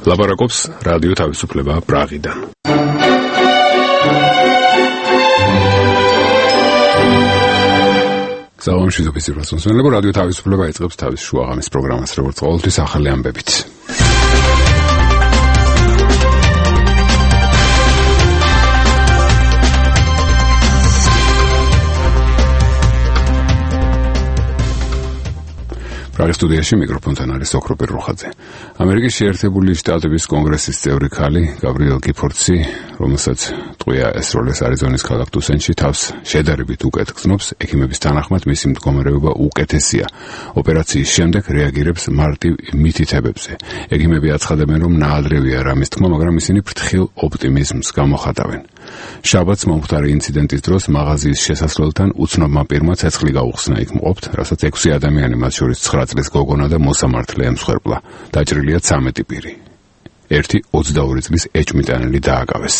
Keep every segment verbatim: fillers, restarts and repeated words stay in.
ლაპარაკობს რადიო თავისუფლება პრაღიდან. Საუბრობთ ისრასონსმენლებო რადიო თავისუფლება იწყებს თავის შუაღამის პროგრამას, როგორც ყოველთვის ახალი ამბებით. პრაღის სტუდიაში მიკროფონთან არის ოქროპირ რუხაძე. ამერიკის შეერთებული შტატების კონგრესის წევრი ქალი გაბრიელ გიფორდსი, რომელსაც ტყვია ესროლეს არიზონის ქალაქ ტუსენში, თავს შედარებით უკეთ გრძნობს, ექიმების თანახმად მისი მდგომარეობა უკეთესია. ოპერაციის შემდეგ რეაგირებს მარტივ მითითებებზე. ექიმები აცხადებენ, რომ ნაადრევია რამის თქმა, მაგრამ ისინი ფრთხილ ოპტიმიზმს გამოხატავენ. შაბათს მომხდარი ინციდენტის დროს მაღაზიის შესასვლელთან უცნობმა პირმა ცეცხლი გაუხსნა იქ მყოფთ, რასაც ექვსი ადამიანი, მათ შორის ცხრა წლის გოგონა და მოსამართლე ემსხვერპლა. დაჭრილია ცამეტი პირი. ერთი ოცდაორი წლის ეჭვმიტანილი დააკავეს.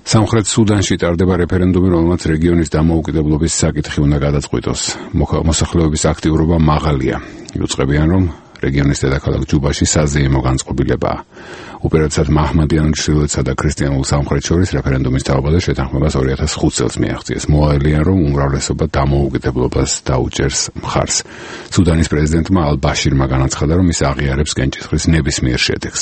სამხრეთ სუდანში ტარდება რეფერენდუმი, რომელმაც რეგიონის დამოუკიდებლობის საკითხი უნდა გადაწყვიტოს. მოსახლეობის აქტიურობა მაღალია. იუწყებიან, რომ რეგიონის დედაქალაქ ჯუბაში საზეიმო განწყობილებაა. უპირატესად მაჰმადიან ჩრდილოეთსა და ქრისტიანულ სამხრეთს შორის რეფერენდუმის თაობა და შეთანხმებას ორი ათას ხუთ წელს მიაღწიეს. მოაელიან, რომ უმრავლესობა დამოუკიდებლობას დაუჭერს მხარს. სუდანის პრეზიდენტმა ალ-ბაშირმა განაცხადა, რომ ის აღიარებს კენჭისყრის ნებისმიერ შედეგს.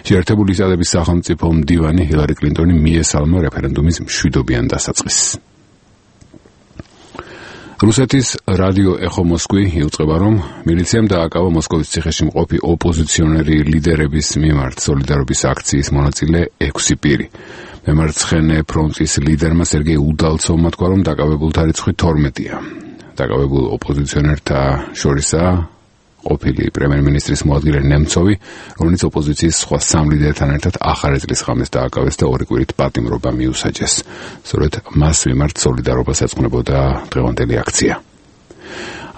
შეერთებული შტატების სახელმწიფო მდივანი ჰილარი კლინტონი მიესალმა რეფერენდუმის მშვიდობიან დასაწყისს. რუსეთის რადიო ეხო მოსკვი იუწყება, რომ მილიციამ დააკავა მოსკოვის ციხეში მყოფი ოპოზიციონერი ლიდერების მიმართ სოლიდარობის აქციის მონაწილე ექვსი პირი. მემარცხენე ფრონტის ლიდერმა სერგეი უდალცოვმა თქვა, რომ დაკავებულთა რიცხვი თორმეტია. დაკავებულ ოპოზიციონერთა შორისაა ყოფილი პრემიერ-მინისტრის მოადგილე ნემცოვი, რომელიც ოპოზიციის სხვა სამ ლიდერთან ერთად ახალი წლის ღამეს დააკავეს და ორი კვირით პატიმრობა მიუსაჯეს. სწორედ მას მიმართ სოლიდარობას ეძღვნებოდა დღევანდელი აქცია.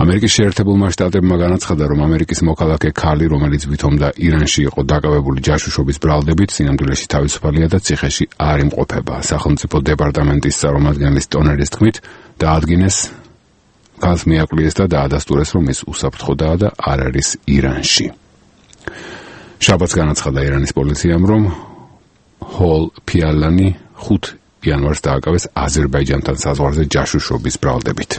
ამერიკის შეერთებულმა შტატებმა განაცხადა, რომ ამერიკის მოქალაქე ქალი, რომელიც ვითომდა ირანში იყო დაკავებული ჯაშუშობის ბრალდებით, სინამდვილეში თავისუფალია და ციხეში არ იმყოფება. სახელმწიფო დეპარტამენტის წარმომადგენლის ტონერის თქმით, დაადგინეს ქალს მიაკლიეს და დაადასტურეს, რომ ის უსაფრთხოდაა და არ არის ირანში. შაბათს განაცხადა ირანის პოლიციამ, რომ ჰოლ ფიალანი ხუთ იანვარს დააკავეს აზერბაიჯანთან საზღვარზე ჯაშუშობის ბრალდებით.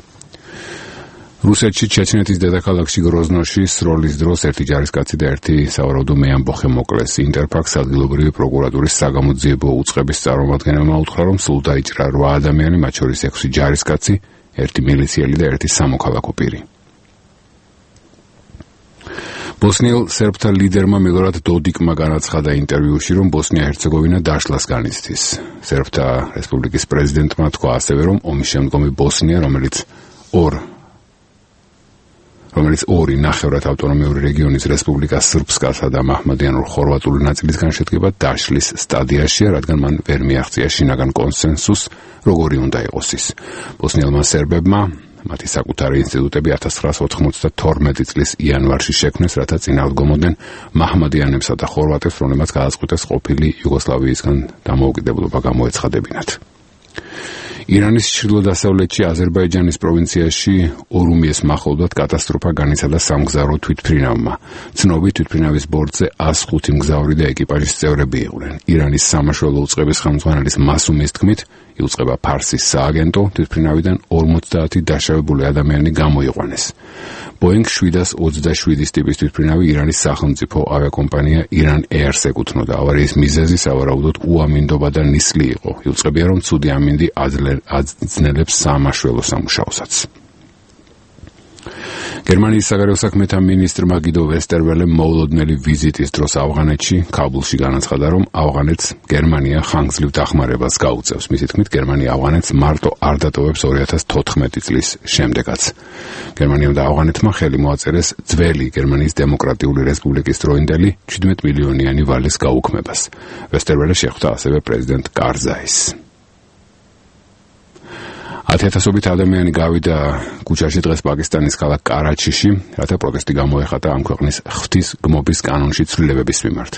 რუსეთში ჩეჩნეთის დედაქალაქში გროზნოში სროლის დროს ერთი ჯარისკაცი და ერთი სავარაუდო მეამბოხე მოკლეს. ინტერფაქს ადგილობრივი პროკურატურის საგამოძიებო უწყების წარმომადგენელმა უთხრა, რომ სულ დაიჭრა რვა ადამიანი, მათ შორის ექვსი ჯარისკაცი, ერთი მილიციელი და ერთი სამოქალაქო პირი. ბოსნიელ სერბთა ლიდერმა მილორად დოდიკმა განაცხადა ინტერვიუში, რომ ბოსნია-ჰერცეგოვინა დაშლას განიცდის. სერბთა რესპუბლიკის პრეზიდენტმა თქვა ასევე, რომ ომის შემდგომი ბოსნია, რომელიც ორ რომელიც ორი ნახევრად ავტონომიური რეგიონის რესპუბლიკა სრბსკასა და მაჰმადიანურ ხორვატული ნაწილისგან შედგება, დაშლის სტადიაშია, რადგან მან ვერ მიაღწია შინაგან კონსენსუსს, როგორი უნდა იყოს ის. ბოსნიელმა სერბებმა მათი საკუთარი ინსტიტუტები ათას ცხრაას ოთხმოცდათორმეტი წლის იანვარში შექმნეს, რათა წინააღმდეგობდნენ მაჰმადიანებსა და ხორვატებს, რომლებმაც გადაწყვიტეს ყოფილი იუგოსლავიისგან დამოუკიდებლობა გამოეცხადებინათ. ირანის ჩრდილო-დასავლეთში აზერბაიჯანის პროვინციაში ორუმიეს მახლობლად კატასტროფა განიცადა სამგზავრო თვითმფრინავმა. ცნობი თვითმფრინავის ბორტზე ას ხუთი მგზავრი და ეკიპაჟის წევრები იყვნენ. ირანის სამაშველო უწყების ხელმძღვანელის მასუმის თქმით, იუწყება ფარსის სააგენტო, თვითმფრინავიდან ორმოცდაათი დაშავებული ადამიანი გამოიყვანეს. ბოინგ შვიდას ოცდაშვიდის ტიპის თვითმფრინავი ირანის სახელმწიფო ავიაკომპანია ირან ეირს ეკუთვნოდა. ავარიის მიზეზი სავარაუდოდ უამინდობა და ნისლი იყო. იუწყებია, რომ ცუდი ამინდი აძნელებს სამაშველო სამუშაოსაც. გერმანიის საგარეო საქმეთა მინისტრმა გიდო ვესტერველემ მოულოდნელი ვიზიტის დროს ავღანეთში, ქაბულში განაცხადა, რომ ავღანეთს გერმანია ხანგრძლივ დახმარებას გაუწევს. მისი თქმით, გერმანია ავღანეთს მარტო არ დატოვებს ორი ათას თოთხმეტი წლის შემდეგაც. გერმანიამ და ავღანეთმა ხელი მოაწერეს ძველი გერმანიის დემოკრატიული რესპუბლიკის დროინდელი შვიდმეტ მილიონიანი ვალის გაუქმებას. ვესტერველე შეხვდა ასევე პრეზიდენტ კარზაის. ათიათასობით ადამიანი გავიდა ქუჩაში დღეს პაკისტანის ქალაქ კარაჩიში, რათა პროტესტი გამოეხატა ამ ქვეყნის ღვთის გმობის კანონში ცვლილებების მიმართ.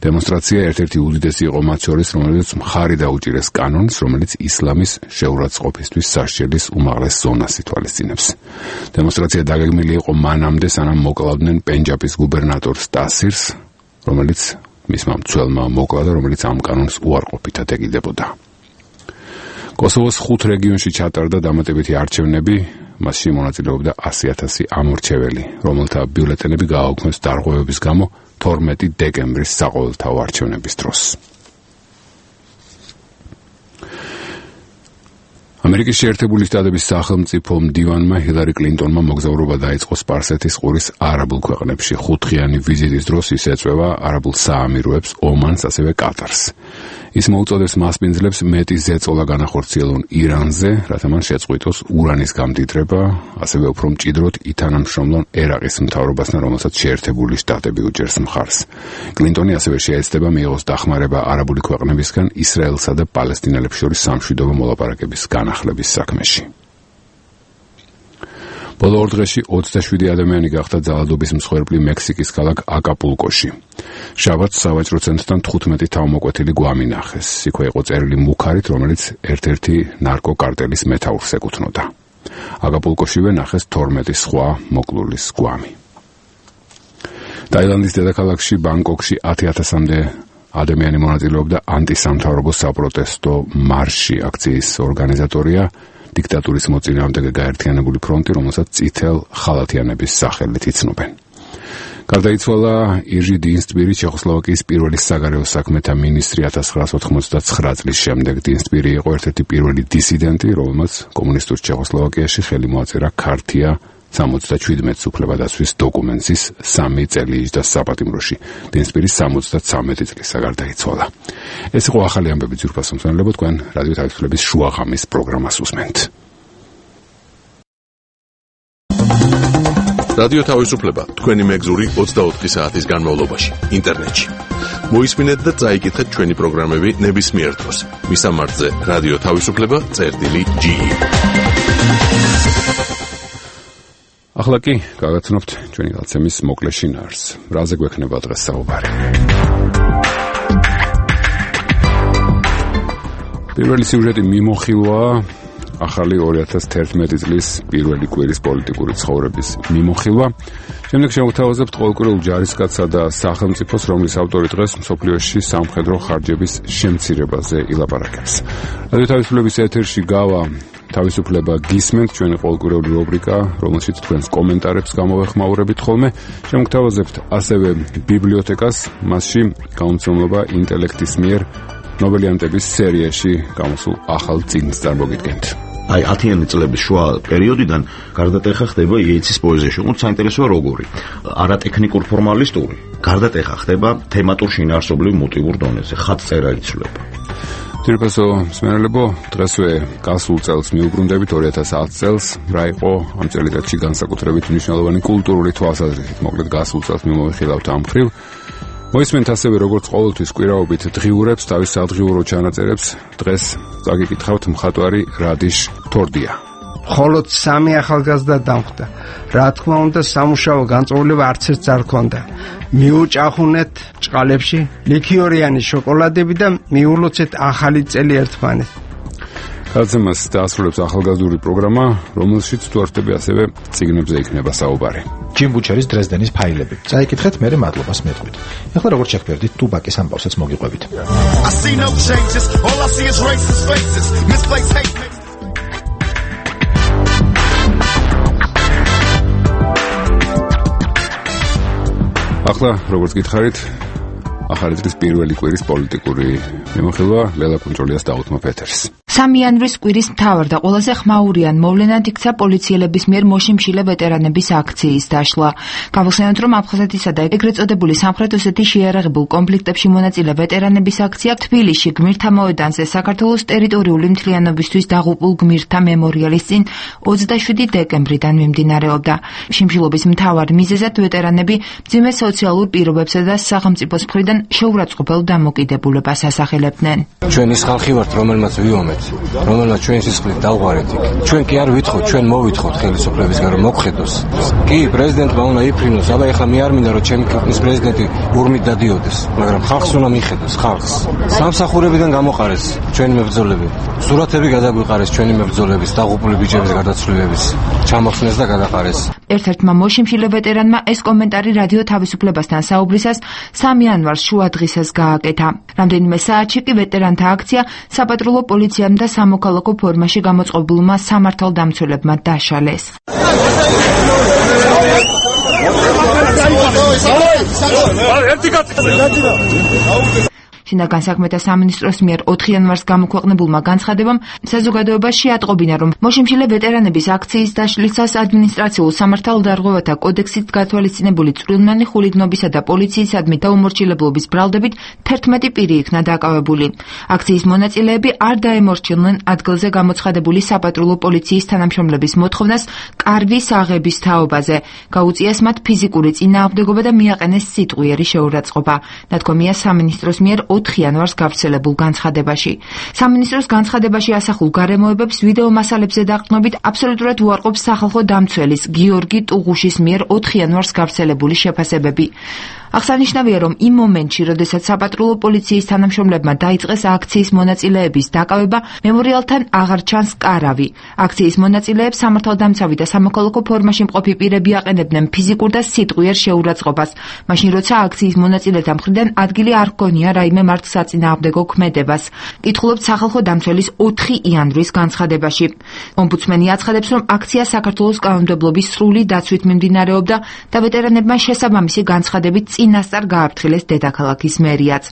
დემონსტრაცია ერთ-ერთი უდიდესი იყო მათ შორის, რომელიც მხარი დაუჭირეს კანონს, რომელიც ისლამის შეურაცხყოფისთვის სასჯელის უმაღლეს ზონას ითვალისწინებს. დემონსტრაცია დაგეგმილი იყო მანამდე, სანამ მოკლავდნენ პენჯაბის გუბერნატორს ტასირს, რომელიც მისმა მცველმა მოკლა და რომელიც ამ კანონს უარყოფითად ეკიდებოდა. კოსოვოს ხუთ რეგიონში ჩატარდა დამატებითი არჩევნები, მასში მონაწილეობდა ასი ათასი ამორჩეველი, რომელთა ბიულეტენები გააუქმეს დარღვევების გამო თორმეტი დეკემბრის საყოველთაო არჩევნების დროს. ამერიკის შეერთებული შტატების სახელმწიფო მდივანმა ჰილარი კლინტონმა მოგზაურობა დაიწყო სპარსეთის ყურის არაბულ ქვეყნებში. ხუთდღიანი ვიზიტის დროს ის ეწვევა არაბულ საამიროებს, ომანს, ასევე კატარს. ის მოუწოდებს მასპინძლებს მეტი ზეწოლა განახორციელონ ირანზე, რათა მან შეწყვიტოს ურანის გამდიდრება, ასევე უფრო მჭიდროდ ითანამშრომლონ ერაყის მთავრობასთან, რომელსაც შეერთებული შტატები უჭერს მხარს. კლინტონი ასევე შეეცდება მიიღოს დახმარება არაბული ქვეყნებისგან ისრაელსა და პალესტინელებს შორის სამშვიდობო მოლაპარაკების განახლების საქმეში. ბოლო ორ დღეში ოცდაშვიდი ადამიანი გახდა ძალადობის მსხვერპლი მექსიკის ქალაქ აკაპულკოში. შაბათს სავაჭრო ცენტრთან თხუთმეტი თავმოკვეთილი გვამი ნახეს. იქვე იყო წერილი მუქარით, რომელიც ერთ-ერთი ნარკოკარტელის მეთაურს ეკუთვნოდა. აკაპულკოშივე ნახეს თორმეტი სხვა მოკლულის გვამი. ტაილანდის დედაქალაქში ბანგკოკში ათი ათასამდე ადამიანი მონაწილეობდა ანტისამთავრობო საპროტესტო მარშში. აქციის ორგანიზატორია დიქტატურის მოწინააღმდეგე გაერთიანებული ფრონტი, რომელსაც წითელ ხალათიანების სახელით იცნობენ. გარდაიცვალა ირჟი დინსტბირი, ჩეხოსლოვაკიის პირველი საგარეო საქმეთა მინისტრი ათას ცხრაას ოთხმოცდაცხრა წლის შემდეგ. დინსტბირი იყო ერთ-ერთი პირველი დისიდენტი, რომელმაც კომუნისტურ ჩეხოსლოვაკიაში ხელი მოაწერა ქართია სამოცდაშვიდმეტ უფლებადაცვის დოკუმენტის სამი წელი იჯდა საპატიმროში. დინსტბირი სამოცდათვრამეტი წლისა გარდაიცვალა. ეს იყო ახალი ამბები ძვირფას მომსმენელებო, თქვენ რადიო თავისუფლების შუაღამის პროგრამას უსმენთ. რადიო თავისუფლება თქვენი მეგზური ოცდაოთხი საათის განმავლობაში ინტერნეტში. მოისმინეთ და წაიკითხეთ ჩვენი პროგრამები ნებისმიერ დროს. მისამართზე რადიო თავისუფლება წერტილი ჯი. ახლა კი გაგაცნობთ ჩვენი გაცემის მოკლე შინაარსს. რაზე გვექნება დღეს საუბარი? პირველი სიუჟეტი მიმოხილვაა ახალი ორი ათას თერთმეტი წლის პირველი კვირის პოლიტიკური ცხოვრების მიმოხილვა. შემდეგ შევთავაზებთ ყოველკვირეულ ჯარისკაცსა და სახელმწიფოს, რომლის ავტორი დღეს მსოფლიოში სამხედრო ხარჯების შემცირებაზე ილაპარაკებს. რადიო თავისუფლების ეთერში გავა თავისუფლება გისმენთ, ჩვენი ყოველკვირეული რუბრიკა, რომელშიც თქვენს კომენტარებს გამოვეხმაურებით ხოლმე. შევთავაზებთ ასევე ბიბლიოთეკას, მასში გამომცემლობა ინტელექტის მიერ ნობელიანტების სერიაში გამოსულ ახალ წიგნს წარმოგიდგენთ. აი ათიანი წლების შუა პერიოდიდან გარდატეხა ხდება იეიცის პოეზიაში, უფრო საინტერესოა როგორი, არატექნიკურ ფორმალისტური, გარდატეხა ხდება თემატურ შინაარსობრივ მოტივურ დონეზე, ხატწერა იცვლება. ძირფასო მსმენელებო, დღესვე გასულ წელს მიუბრუნდებით ორი ათას ათი წელს, რა იყო ამ წელიწადში განსაკუთრებით მნიშვნელოვანი კულტურული თვალსაზრისით, მოკლედ გასულ წელს მიმოვიხილავთ ამ მხრივ. მოისმენთ ასევე როგორც ყოველთვის კვირაობით დღიურებს, თავის სადღიურო ჩანაწერებს. დღეს წაგიკითხავთ მხატვარი რადიშ თორდია. მხოლოდ სამი ახალგაზრდა დამხვდა. რა თქმა უნდა, სამუშაო განწყობილება არც ერთს არ ჰქონდა. მიუჭახუნეთ ჭყალებში ლიქიორიანი შოკოლადები და მიულოცეთ ახალი წელი ერთმანეთს. გაცემას დაასრულებს ახალგაზრდული პროგრამა, რომელშიც თუ არ ხდება ასევე წიგნებზე იქნება საუბარი. ჯიმ ბუჩერის დრეზდენის ფაილები. წაიკითხეთ, მერე მადლობას მეტყვით. ეხლა როგორც შეგვერდით, ტუბაკის ამბავსაც მოგიყვებით. ახლა როგორც გითხარით, ახალი წლის პირველი კვირის პოლიტიკური მიმოხილვა ლელა კუნჭოლიას დაუთმობ ეთერს. სამი იანვრის კვირის მთავარ და ყველაზე ხმაურიან მოვლენად იქცა პოლიციელების მიერ მოშიმშილე ვეტერანების აქციის დაშლა. გავხსენოთ, რომ აფხაზეთისა და ეგრეთ წოდებული სამხრეთ ოსეთის შეიარაღებულ კონფლიქტებში მონაწილე ვეტერანების აქცია თბილისში გმირთა მოედანზე საქართველოს ტერიტორიული მთლიანობისთვის დაღუპულ გმირთა მემორიალის წინ ოცდაშვიდი დეკემბრიდან მიმდინარეობდა. შიმშილობის მთავარ მიზეზად ვეტერანები მძიმე სოციალურ პირობებსა და სახელმწიფოს მხრიდან შეურაცხყოფელ დამოკიდებულებას ასახელებდნენ. ჩვენ ის ხალხი ვართ, რომელმაც ვიომეთ რომელსაც ჩვენ სისხლით დავღვარეთ იქ. ჩვენ კი არ ვითხოვთ, ჩვენ მოვითხოვთ ხელისუფლებისგან რომ მოგხედოს. კი, პრეზიდენტმა უნდა იფრინოს, აბა ეხლა მე არ მინდა რომ ჩემი ქვეყნის პრეზიდენტი ურმით დადიოდეს, მაგრამ ხალხს უნდა მიხედოს, ხალხს. სამსახურებიდან გამოყარეს ჩვენი მებრძოლები. სურათები გადაგვიყარეს ჩვენი მებრძოლების, დაღუპული ბიჭების გარდაცვლილების. ჩამოხსნეს და გადაყარეს. ერთ-ერთმა მოშიმშილე ვეტერანმა ეს კომენტარი რადიო თავისუფლებასთან საუბრისას სამი იანვარს შუადღისას გააკეთა. რამდენიმე საათში კი ვეტერანთა აქცია საპატრულო პოლიციამ და სამოქალაქო ფორმაში გამოწყობილმა სამართალდამცველებმა დაშალეს. შინაგან საქმეთა სამინისტროს მიერ ოთხი იანვარს გამოქვეყნებულმა განცხადებამ საზოგადოებაში ატყობინა, რომ მოშიმშილე ვეტერანების აქციის დაშლისას ადმინისტრაციულ სამართალდარღვევათა კოდექსით გათვალისწინებული წვრილმანი ხულიგნობისა და პოლიციისადმი დაუმორჩილებლობის ბრალდებით თერთმეტი პირი იქნა დაკავებული. აქციის მონაწილეები არ დაემორჩილნენ ადგილზე გამოცხადებული საპატრულო პოლიციის თანამშრომლების მოთხოვნას კარვის აღების თაობაზე. გაუწიეს მათ ფიზიკური წინააღმდეგობა და მიაყენეს სიტყვიერი შეურაცხყოფა. ნათქვამია სამინისტროს მიერ ოთხი იანვარს გავრცელებულ განცხადებაში. სამინისტროს განცხადებაში ასახულ გარემოებებს ვიდეო მასალებზე დაყრდნობით აბსოლუტურად უარყოფს სახალხო დამცველის გიორგი ტუღუშის მიერ ოთხი იანვარს გავრცელებული შეფასებები. აღსანიშნავია, რომ იმ მომენტში, როდესაც საპატრულო პოლიციის თანამშრომლებმა დაიწყეს აქციის მონაწილეების დაკავება, მემორიალთან აღარ ჩანს კარავი. აქციის მონაწილეებს სამართალდამცავი და სამოქალაქო ფორმაში მყოფი პირები აყენებდნენ ფიზიკურ და სიტყვიერ შეურაცხყოფას, მაშინ როცა აქციის მონაწილეთა მხრიდან ადგილი არ ჰქონია რაიმე მართლსაწინააღმდეგო ქმედებას. კითხულობთ სახალხო დამცველის ოთხი იანვრის განცხადებაში. ომბუდსმენი აცხადებს, რომ აქცია საქართველოს კანონმდებლობის სრული დაცვით მიმდინარეობდა და ვეტერანებმა შესაბამისი განცხადებით წინასწარ გააფრთხილეს დედაქალაქის მერიაც.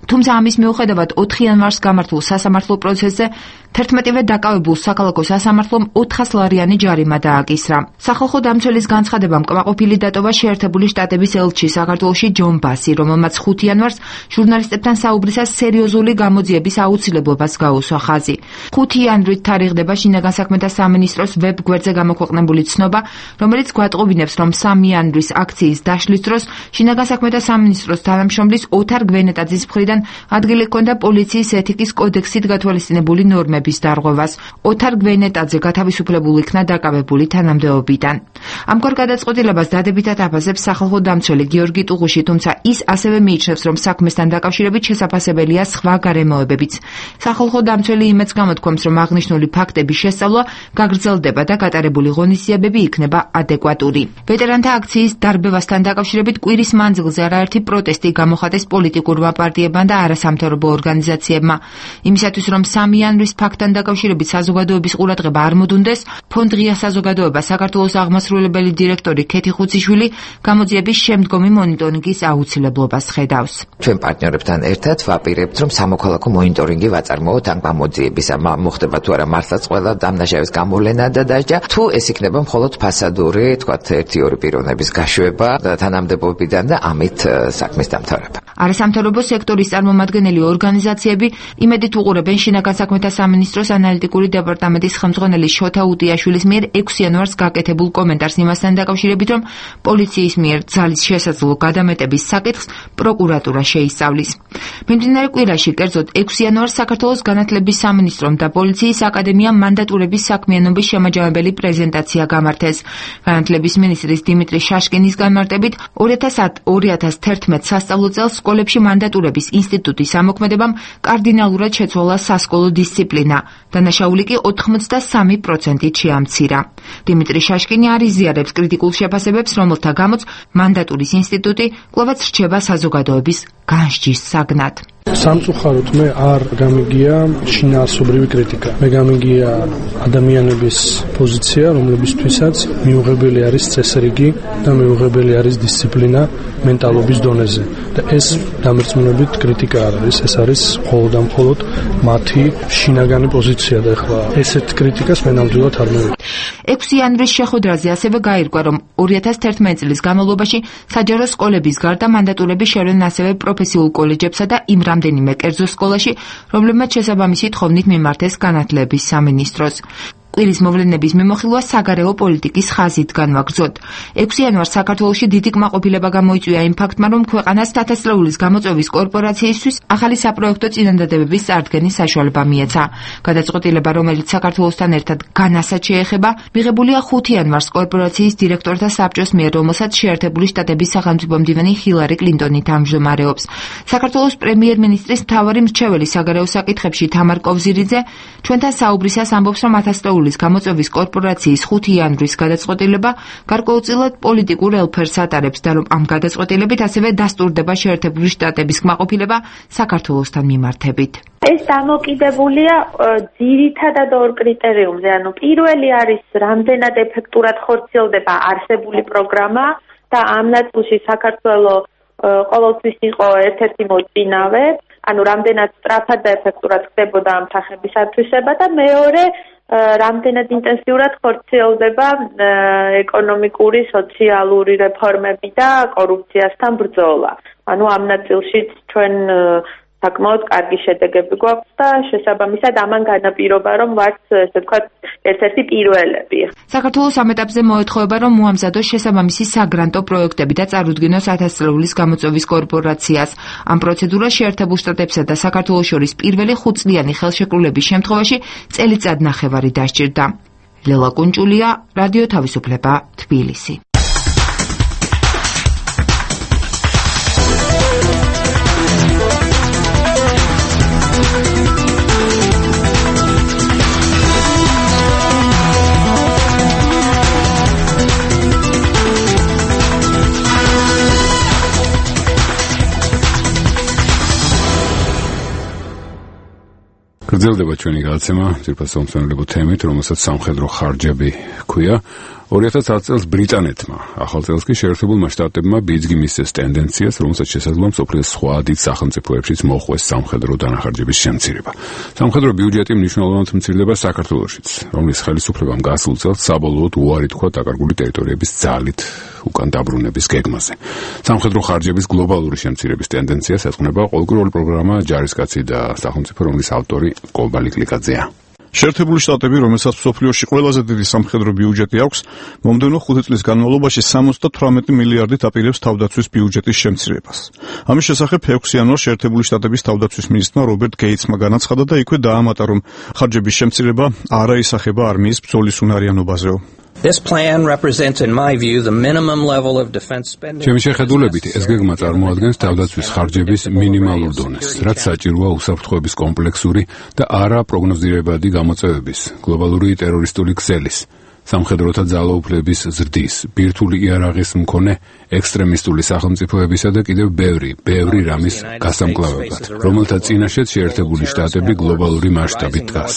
თუმცა ამის მიუხედავად ოთხი იანვარს გამართულ სასამართლო პროცესზე თერთმეტივე დაკავებულ საქალაქო სასამართლომ ოთხას ლარიანი ჯარიმა დააკისრა. სახალხო დამცველის განცხადებამ კმაყოფილი დატოვა შეერთებული შტატების ელჩი საქართველოში ჯონ ბასი, რომელმაც ხუთი იანვარს ჟურნალისტებთან საუბრისას სერიოზული გამოძიების აუცილებლობას გაუსვა ხაზი. ხუთი იანვრით თარიღდება შინაგან საქმეთა სამინისტროს ვებ-გვერდზე გამოქვეყნებული ცნობა, რომელიც გვატყობინებს, რომ სამი იანვრის აქციის დაშლის დროს შინაგან საქმეთა სამინისტროს თანამშრომლის ოთარ გვენეტაძის მხრიდან ადგილი ჰქონდა პოლიციის ეთიკის კოდექსით გათვალისწინებული ნორმების დარღვევას. ოთარ გვენეტაძე გათავისუფლებული იქნა დაკავებული თანამდებობიდან. ამგვარ გადაწყვეტილებას დადებითად აფასებს სახალხო დამცველი გიორგი ტუღუში, თუმცა ის ასევე მიიჩნევს, რომ საქმესთან დაკავშირებით შესაძლებელია სხვა გარემოებებიც. სახალხო დამცველი იმედს გამოთქვამს, რომ აღნიშნული ფაქტების შესწავლა გაგრძელდება და გატარებული ღონისძიებები იქნება ადეკვატური. ვეტერანთა აქციის დარბევასთან დაკავშირებით კვირის მანძილზე არაერთი პროტესტი გამოხატეს პოლიტიკურმა პარტიებმა და არასამთავრობო ორგანიზაციებმა. იმისათვის, რომ სამი იანვრის ფაქტთან დაკავშირებით საზოგადოების ყურადღება არ მოდუნდეს, ფონდ ღია საზოგადოება საქართველოს აღმასრულებელი დირექტორი ქეთი ხუციშვილი გამოძიების შემდგომი მონიტორინგის აუცილებლობას ხედავს. ჩვენ პარტნიორებთან ერთად ვაპირებთ, რომ სამოქალაქო მონიტორინგი ვაწარმოოთ ამ გამოძიების. მოხდება თუ არა მართლაც ყველა დამნაშავის გამოვლენა და დასჯა, თუ ეს იქნება მხოლოდ ფასადური, თქვათ ერთი-ორი პიროვნების გაშვება თანამდებობიდან და ამით საქმის დამთავრება. არასამთავრობო სექტორის წარმომადგენელი ორგანიზაციები იმედით უყურებენ შინაგან საქმეთა სამინისტროს ანალიტიკური დეპარტამენტის ხელმძღვანელი შოთა უტიაშვილის მიერ ექვსი იანვარს გაკეთებულ კომენტარს იმასთან დაკავშირებით, რომ პოლიციის მიერ ძალის შესაძლო გადამეტების საკითხს პროკურატურა შეისწავლის. მიმდინარე კვირაში, კერძოდ ექვსი იანვარს საქართველოს განათლების სამინისტრომ და პოლიციის აკადემიამ მანდატურების საქმიანობის შემაჯამებელი პრეზენტაცია გამართეს. განათლების მინისტრის დიმიტრი შაშკინის განმარტებით, ორი ათას თერთმეტ სასწავლო წელს სკოლებში მანდატურების ინსტიტუტის ამოქმედებამ კარდინალურად შეცვალა სასკოლო დისციპლინა. დანაშაული კი ოთხმოცდასამი პროცენტით შეამცირა. დიმიტრი შაშკინი არ იზიარებს კრიტიკულ შეფასებებს, რომელთა გამოც მანდატურის ინსტიტუტი კვლავაც რჩება საზოგადოების განსჯის საგნად. სამწუხაროდ მე არ გამიგია შინაარსობრივი კრიტიკა. მე გამიგია ადამიანების პოზიცია, რომლებისთვისაც მიუღებელი არის წესრიგი და მიუღებელი არის დისციპლინა მენტალობის დონეზე. და ეს დამერწმუნებით კრიტიკა არ არის, ეს არის მხოლოდ და მხოლოდ მათი შინაგანი პოზიცია და ეხლა ესეთ კრიტიკას მე ნამდვილად არ მივიღებ. ექვსი იანვრის შეხვედრაზე ასევე გაირკვა, რომ ორი ათას თერთმეტ წლის განმავლობაში საჯარო სკოლების გარდა მანდატურები შევლენ ასევე პროფესიულ კოლეჯებსა და იმ რამდენიმე კერძო სკოლაში, რომლებმაც შესაბამისი თხოვნით მიმართეს განათლების სამინისტროს. კვირის მოვლენების მიმოხილვა საგარეო პოლიტიკის ხაზით განვაგრძოთ. ექვსი იანვარს საქართველოში დიდი კმაყოფილება გამოიწვია იმ ფაქტმა, რომ ქვეყანას ათასწლეულის გამოწვევის კორპორაციისთვის ახალი საპროექტო წინადადებების წარდგენის საშუალება მიეცა. გადაწყვეტილება, რომელიც საქართველოსთან ერთად განასაც შეეხება, მიღებულია ხუთი იანვარს კორპორაციის დირექტორთა საბჭოს მიერ, რომელსაც შეერთებული შტატების სახელმწიფო მდივანი ჰილარი კლინტონი თავმჯდომარეობს. საქართველოს პრემიერ-მინისტრის მთავარი მრჩეველი საგარეო საკითხებში თამარ კოვზირიძე ჩვენთან საუბრისას ამბობს, რომ ათასწლეულის გამოწვევის კორპორაციის ხუთი იანვრის გადაწყვეტილება გარკვეულწილად პოლიტიკურ ელფერს ატარებს და რომ ამ გადაწყვეტილებით ასევე დასტურდება შეერთებული შტატების კმაყოფილება საქართველოსთან მიმართებით. ეს დამოკიდებულია ძირითადად ორ კრიტერიუმზე, ანუ პირველი არის რამდენად ეფექტურად ხორციელდება არსებული პროგრამა და ამ ნაწილში საქართველოს ყოველთვის იყო ერთ-ერთი მოწინავე, ანუ რამდენად სწრაფად და ეფექტურად ხდებოდა ამ თანხების ათვისება და მეორე რამდენად ინტენსიურად ხორციელდება ეკონომიკური, სოციალური რეფორმები და კორუფციასთან ბრძოლა. ანუ ამ ნაწილშიც ჩვენ საკმაოდ კარგი შედეგები გვაქვს და შესაბამისად ამან განაპირობა, რომ ვართ, ესე ვთქვათ, ერთ-ერთი პირველები. საქართველოს ამ ეტაპზე მოეთხოვება, რომ მოამზადოს შესაბამისი საგრანტო პროექტები და წარუდგინოს ათასწლეულის გამოწვევის კორპორაციას. ამ პროცედურას შეერთებულ შტატებსა და საქართველოს შორის პირველი ხუთწლიანი ხელშეკრულების შემთხვევაში წელიწად ნახევარი დასჭირდა. ლელა კუნჭულია, რადიო თავისუფლება, თბილისი. გრძელდება ჩვენი გადაცემა ძირფას სამწუხაროებო თემით, რომელსაც სამხედრო ხარჯები ჰქვია. ორი ათას ათი წელს ბრიტანეთმა, ახალ წელს კი შეერთებულმა შტატებმა ბიძგი მისცეს ტენდენციას, რომელსაც შესაძლოა მსოფლიოს სხვა დიდ სახელმწიფოებშიც მოხვდეს სამხედრო დანახარჯების შემცირება. სამხედრო ბიუჯეტი მნიშვნელოვნად მცირდება საქართველოშიც, რომლის ხელისუფლებამ გასულ წელს საბოლოოდ უარი თქვა დაკარგული ტერიტორიების ძალით უკან დაბრუნების გეგმაზე. სამხედრო ხარჯების გლობალური შემცირების ტენდენციას ეძღვნება ყოველკვირეული პროგრამა ჯარისკაცი და სახელმწიფო, რომლის ავტორი კობალი კლიკაძეა. შეერთებული შტატები, რომელსაც მსოფლიოში ყველაზე დიდი სამხედრო ბიუჯეტი აქვს, მომდევნო ხუთი წლის განმავლობაში სამოცდათვრამეტი მილიარდით აპირებს თავდაცვის ბიუჯეტის შემცირებას. ამის შესახებ ექვსი იანვარს შეერთებული შტატების თავდაცვის მინისტრმა რობერტ გეიცმა განაცხადა და იქვე დაამატა, რომ ხარჯების შემცირება არ აისახება არმიის ბრძოლის უნარიანობაზეო. This plan represents, in my view, the minimum level of defense spending. ჩემი შეხედულებით, ეს გეგმა წარმოადგენს თავდაცვის ხარჯების მინიმალურ დონეს, რაც საჭიროა უსაფრთხოების კომპლექსური და არა პროგნოზირებადი გამოწვევების, გლობალური ტერორისტული ქსელის, სამხედროთა ძალაუფლების ზრდის, ბირთვული იარაღის მქონე ექსტრემისტული სახელმწიფოებისა და კიდევ ბევრი, ბევრი რამის გასამკლავებად, რომელთა წინაშეც შეერთებული შტატები გლობალური მასშტაბით დგას.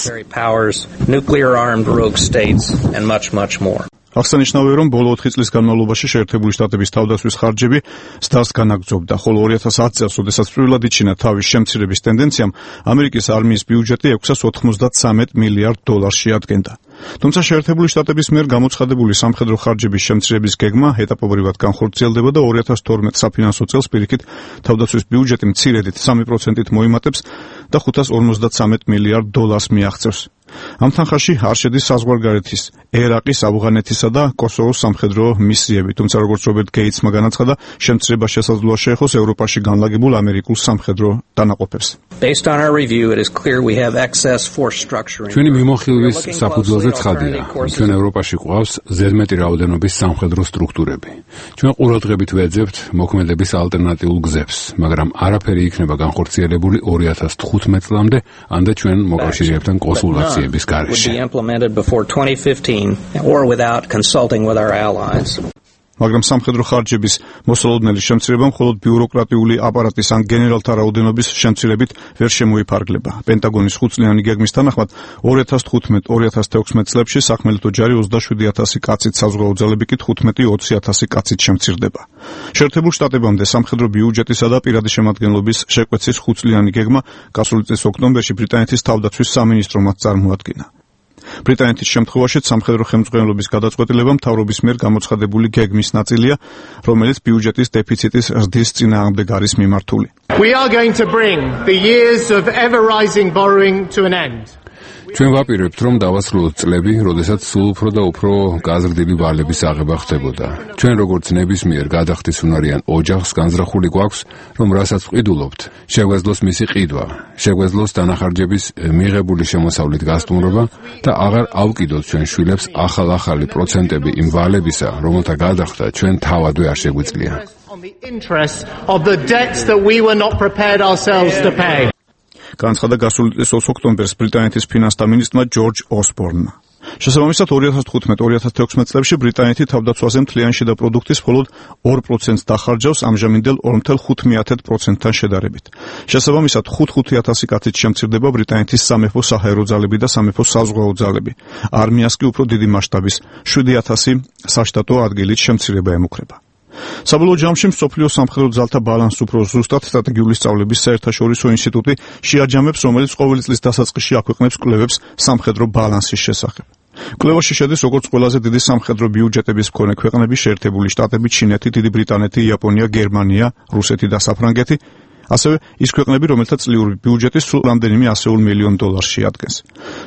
აღსანიშნავია, რომ ბოლო ოთხი წლის განმავლობაში შეერთებული შტატების თავდაცვის ხარჯები ზრდას განაგრძობდა, ხოლო ორი ათას ათი წელს, როდესაც პირველად იჩინა თავის შემცირების ტენდენციამ, ამერიკის არმიის ბიუჯეტი ექვსას ოცდათხმეტ მილიარდ დოლარში ადგენდა. თუმცა შეერთებული შტატების მიერ გამოცხადებული სამხედრო ხარჯების შემცირების გეგმა ეტაპობრივად განხორციელდება და ორი ათას თორმეტ საფინანსო წელს პირიქით თავდაცვის ბიუჯეტი მცირედით სამი პროცენტით მოიმატებს და ხუთას ორმოცდათრამეტ მილიარდ დოლარს მიაღწევს. ამ თანხაში არ შედის საზღვარგარეთის, ერაყის, ავღანეთისა და კოსოვოს სამხედრო მისიები, თუმცა როგორც რობერტ გეიცმა განაცხადა, შემცირება შესაძლოა შეეხოს ევროპაში განლაგებულ ამერიკულ სამხედრო დანაყოფებს. ჩვენი მიმოხილვის საფუძველზე ცხადია, ჩვენ ევროპაში გვყავს ზედმეტი რაოდენობის სამხედრო სტრუქტურები. ჩვენ ყურადღებით ვეძებთ მოქმედების ალტერნატიულ გზებს, მაგრამ არაფერი იქნება განხორციელებული ორი ათას თხუთმეტ წლამდე, ამდე ჩვენ მოკავშირეებთან კონსულტაცია would be implemented before twenty fifteen or without consulting with our allies. მაგრამ სამხედრო ხარჯების მოსალოდნელი შემცირება მხოლოდ ბიუროკრატიული აპარატის ან გენერალთა რაოდენობის შემცირებით ვერ შემოიფარგლება. პენტაგონის ხუთწლიანი გეგმის თანახმად ორი ათას თხუთმეტ ორი ათას თექვსმეტ წლებში სახმელეთო ჯარი ოცდაშვიდი ათასი კაცით, საზღვაო ძალები კი თხუთმეტი ოცი ათასი კაცით შემცირდება. შეერთებულ შტატებამდე სამხედრო ბიუჯეტისა და პირადი შემადგენლობის შეკვეცის ხუთწლიანი გეგმა გასული წლის ოქტომბერში ბრიტანეთის თავდაცვის სამინისტრომაც წარმოადგინა. ბრიტანეთის შემთხვევაშიც სამხედრო ხელმძღვანელობის გადაწყვეტილება მთავრობის მიერ გამოცხადებული გეგმის ნაწილია, რომელიც ბიუჯეტის დეფიციტის ზრდის წინააღმდეგ არის მიმართული. We are going to bring the years of ever rising borrowing to an end. ჩვენ ვაპირებთ, რომ დავასრულოთ წლები, როდესაც სულ უფრო და უფრო გაზრდილი ვალების აღება ხდებოდა. ჩვენ როგორც ნებისმიერ გადახდის უნარიან ოჯახს განზრახული გვაქვს, რომ რასაც ვყიდულობთ, შეგვეძლოს მისი ყიდვა, შეგვეძლოს დანახარჯების მიღებული შემოსავლით გასტუმრობა და აღარ ავკიდოთ ჩვენ შვილებს ახალ-ახალი პროცენტები იმ ვალებისა, რომელთა გადახდა ჩვენ თავადვე არ შეგვიძლია. განცხადა გასული წლის ოქტომბერს ბრიტანეთის ფინანსთა მინისტრმა ჯორჯ ოსბორნმა. შესაბამისად ორი ათას თხუთმეტ ორი ათას თექვსმეტ წლებში ბრიტანეთი თავდაცვაზე მთლიანი შიდა პროდუქტის მხოლოდ ორ პროცენტს დახარჯავს ამჟამინდელ ორ ათას ხუთმეტ პროცენტთან შედარებით. შესაბამისად ხუთი ათასი კაცით შემცირდება ბრიტანეთის სამეფო საჰაერო ძალები და სამეფო საზღვაო ძალები. არმიას კი უფრო დიდი მასშტაბის შვიდი ათასი საშტატო ადგილით შემცირება ემუქრება. საბოლოო ჯამში მსოფლიო სამხედრო ძალთა ბალანსს უფრო ზუსტად სტრატეგიული სწავლების საერთაშორისო ინსტიტუტი შეაჯამებს, რომელიც ყოველი წლის დასაწყისში აქვეყნებს კვლევებს სამხედრო ბალანსის შესახებ. კვლევაში შედის როგორც ყველაზე დიდი სამხედრო ბიუჯეტების მქონე ქვეყნები შეერთებული შტატები, ჩინეთი, დიდი ბრიტანეთი, იაპონია, გერმანია, რუსეთი და საფრანგეთი, ასევე ის ქვეყნები, რომელთა წლიური ბიუჯეტი სულ რამდენიმე ასეულ მილიონ დოლარს შეადგენს.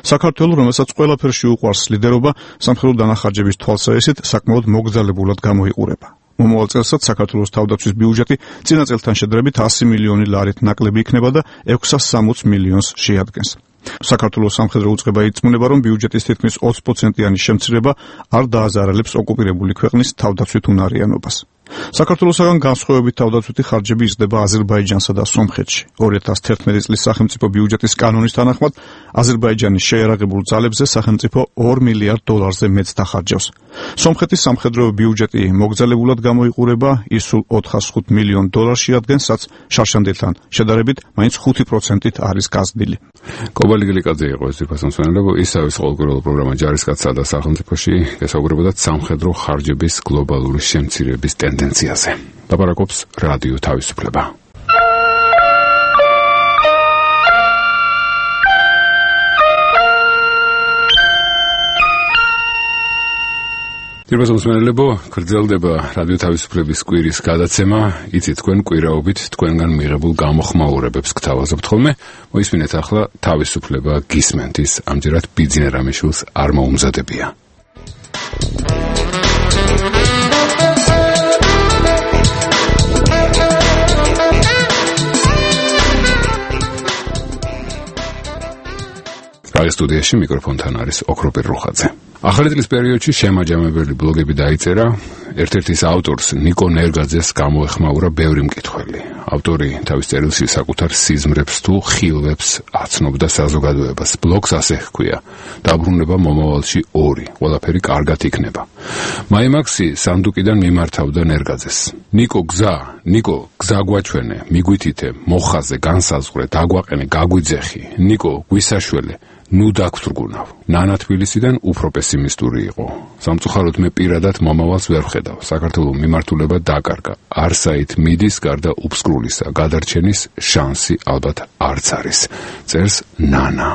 საქართველო, რომელსაც ყველაფერში უყვარს ლიდერობა, სამხედრო დანახარჯების თვალსაჩინით საკმაოდ მოგზალებულად გამოიყურება. მომავალ წელსაც საქართველოს თავდაცვის ბიუჯეტი წინა წელთან შედარებით ასი მილიონი ლარით ნაკლები იქნება და ექვსას სამოცდ მილიონს შეადგენს. საქართველოს სამხედრო უწყება იწმუნება, რომ ბიუჯეტის თითქმის ოცი პროცენტიანი შემცირება არ დააზარალებს ოკუპირებული ქვეყნის თავდაცვით უნარიანობას. საქართველოსაგან განსხვავებით თავდაცვითი ხარჯები იზრდება აზერბაიჯანსა და სომხეთში. ორი ათას თერთმეტი წლის სახელმწიფო ბიუჯეტის კანონის თანახმად აზერბაიჯანის შეიარაღებულ ძალებზე სახელმწიფო ორ მილიარდ დოლარზე მეტს დახარჯავს. სომხეთის სამხედრო ბიუჯეტი მოგზალებულად გამოიყურება, ის სულ ოთხას ხუთ მილიონ დოლარს შეადგენს, რაც შარშანდელთან შედარებით მაინც ხუთი პროცენტით არის გაზრდილი. კობალი გლიკაძე იყო ეს ფასონსვენელები, ისავის ყოველკვირეულ პროგრამა ჯარისკაცსა და სახელმწიფოში გასაუბრებოდათ სამხედრო ხარჯების გლობალური შემცირების ტენდენციაზე. ლაპარაკობს რადიო თავისუფლება. თირბაზომსმენელებო, გრძელდება რადიო თავისუფლების კვირის გადაცემა. იცით, თქვენ კვირაობით თქვენგან მიღებულ გამოხმაურებებს გთავაზობთ ხოლმე. მოისმინეთ ახლა თავისუფლება გისმენთ, ის ამჯერად ბიძინა რამიშვილს არ მოუმზადებია. რადიო სტუდიაში მიკროფონთან არის ოქროპირ რუხაძე. ახალი წლის პერიოდში შემაჯამებელი ბლოგები დაიწერა. ერთ-ერთ ის ავტორს ნიკო ნერგაძეს გამოეხმაურა ბევრი მკითხველი. ავტორი თავის წერილში საკუთარ სიზმრებს თუ ხილვებს აცნობდა საზოგადოებას. ბლოგს ასე ჰქვია: დაბრუნება მომავალში ორი, ყველაფერი კარგად იქნება. მაიმაქსი სანდუკიდან მიმართავდა ნერგაძეს. ნიკო გზა, ნიკო გზა გვაჩვენე, მიგვითითე, მოხაზე, განსაზღვრე, დაგვაყენე, გაგვიძეხი. ნიკო გვისაშველე, ნუ დაგვრგუნავ. ნანა თბილისიდან უფრო პესიმისტური იყო. სამწუხაროდ მე პირადად მომავალს ვერ ვხედავ. საქართველოს მიმართულება დაკარგა. არსაით მიდის გარდა უფსკრულისა, გადარჩენის შანსი ალბათ არც არის. წერს ნანა.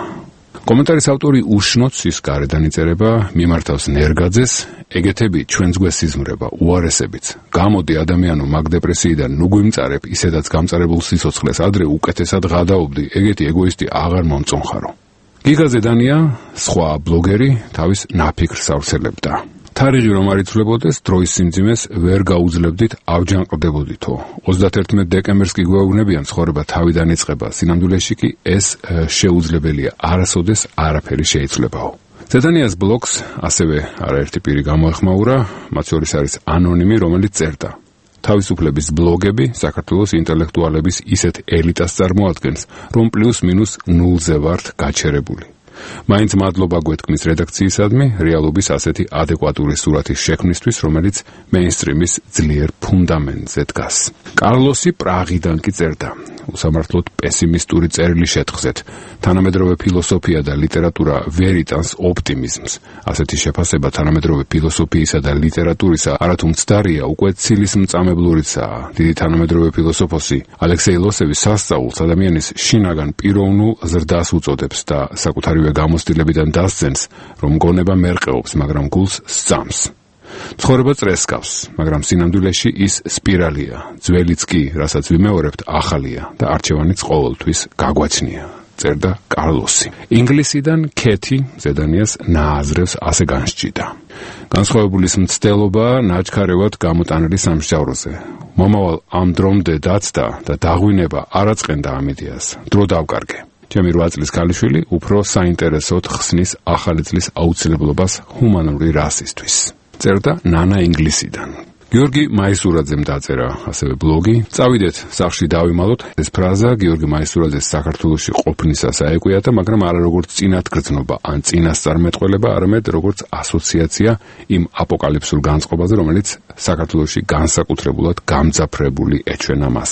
კომენტარის ავტორი უშნოც ის გარედან იწერება, მიმართავს ნერგაძეს, ეგეთები ჩვენს გვესიზმრება, უარესებიც. გამოდი ადამიანო მაგ დეპრესიიდან, ნუ გვიმწარებ, ისედაც გამწარებულ სიცოცხლეს, ადრე უკეთესად ღადაობდი, ეგეთი ეგოისტი აღარ მომწონხარო. გიგა ზედანია, სხვა ბლოგერი, თავის ნაფიქრს ავრცელებდა. თარიღი რომ არ იცვლებოდეს, დროის სიმძიმეს ვერ გაუძლებდით, ავჯანყდებოდითო. ოცდაათერთმეტ დეკემბერს კი გვეუბნებიან, ცხოვრება თავიდან იწყება, სინამდვილეში კი ეს შეუძლებელია, არასოდეს არაფერი შეიცვლებაო. ზედანიას ბლოგს ასევე არაერთი პირი გამოეხმაურა, მათ შორის არის ანონიმი, რომელიც წერდა: თავისუფლების ბლოგები საქართველოს ინტელექტუალების ისეთ ელიტას წარმოადგენს, რომ პლუს მინუს ნულზე ვართ გაჩერებული. მაინც მადლობა გვეთქმის რედაქციისადმი, რეალობის ასეთი ადეკვატური სურათის შექმნისთვის, რომელიც მეინსტრიმის ძლიერ ფუნდამენტზე დგას. კარლოსი პრაღიდან კი წერდა: უსამართლოდ პესიმისტური წერილი შეთხზეთ. თანამედროვე ფილოსოფია და ლიტერატურა ვერ იტანს ოპტიმიზმს. ასეთი შეფასება თანამედროვე ფილოსოფიისა და ლიტერატურისა არათუ მცდარია, უკვე ცილის მწამებლურიცაა. დიდი თანამედროვე ფილოსოფოსი ალექსეი ლოსევი სასწაულს ადამიანის შინაგან პიროვნულ ზრდას უწოდებს და საკუთარივე გამოცდილებიდან დასცენს, რომ გონება მერყეობს, მაგრამ გულს სწამს. ცხოვრება წრესკავს, მაგრამ სინამდვილეში ის სპირალია. ძველიც კი, რასაც ვიმეორებთ, ახალია და არჩევანიც ყოველთვის გაგვაჩნია. წერდა კარლოსი. ინგლისიდან ქეთი ზედანიას ნააზრევს ასე განსჭიდა. განსხვავებულის მცდელობა ნაჩქარევად გამოტანილი სამსჯავროზე. მომავალ ამ დრომდე დაცდა და დაღვინება არ აწყენდა ამიდიას. დრო დავკარგე. ჩემი რვა წლის ქალიშვილი უფრო საინტერესოდ ხსნის ახალი წლის აუცილებლობას ჰუმანური რასისთვის. წერდა ნანა ინგლისიდან. გიორგი მაისურაძემ დაწერა ასევე ბლოგი. წავიდეთ სახლში დავიმალოთ. ეს ფრაზა გიორგი მაისურაძეს საქართველოში ყოფნისას აეკვიათა, მაგრამ არა როგორც წინათგრძნობა ან წინასწარმეტყველება, არამედ როგორც ასოციაცია იმ აპოკალიფსურ განწყობაზე, რომელიც საქართველოში განსაკუთრებულად გამძაფრებული ეჩვენა მას.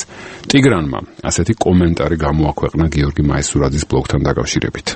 ტიგრანმა ასეთი კომენტარი გამოაქვეყნა გიორგი მაისურაძის ბლოგთან დაკავშირებით.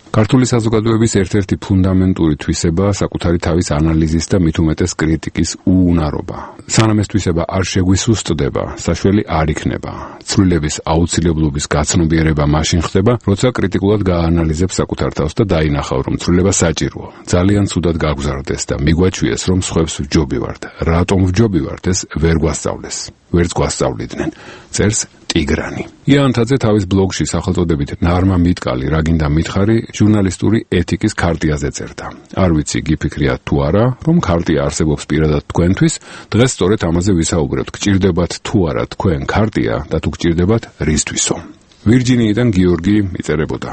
ქართული საზოგადოების ერთ-ერთი ფუნდამენტური თვისება საკუთარი თავის ანალიზის და მით უმეტეს კრიტიკის უუნარობა. სანამ ეს თვისება არ შეგვისუსტდება, საშველი არ იქნება. ცვლილების აუცილებლობის გაცნობიერება მაშინ ხდება, როცა კრიტიკულად გააანალიზებს საკუთარ თავს და დაინახავ, რომ ცვლილება საჭიროა. ძალიან ცუდად გაგზარდეს და მიგვაჩვიეს, რომ სხვებს ვჯობივართ. რატომ ვჯობივართ, ეს ვერ გვასწავლეს. ვერც გვასწავლიდნენ. წერს ტიგრანი. იანთაძე თავის ბლოგში სახელწოდებით ნარმა მიტკალი რა გინდა მითხარი ჟურნალისტური ეთიკის ქარტიაზე წერდა. არ ვიცი გიფიქრიათ თუ არა, რომ ქარტია არსებობს პირადად თქვენთვის, დღეს სწორედ ამაზე ვისაუბრებთ. გჭირდებათ თუ არა თქვენ ქარტია და თუ გჭირდებათ რისთვისო. ვირჯინიიდან გიორგი იწერებოდა.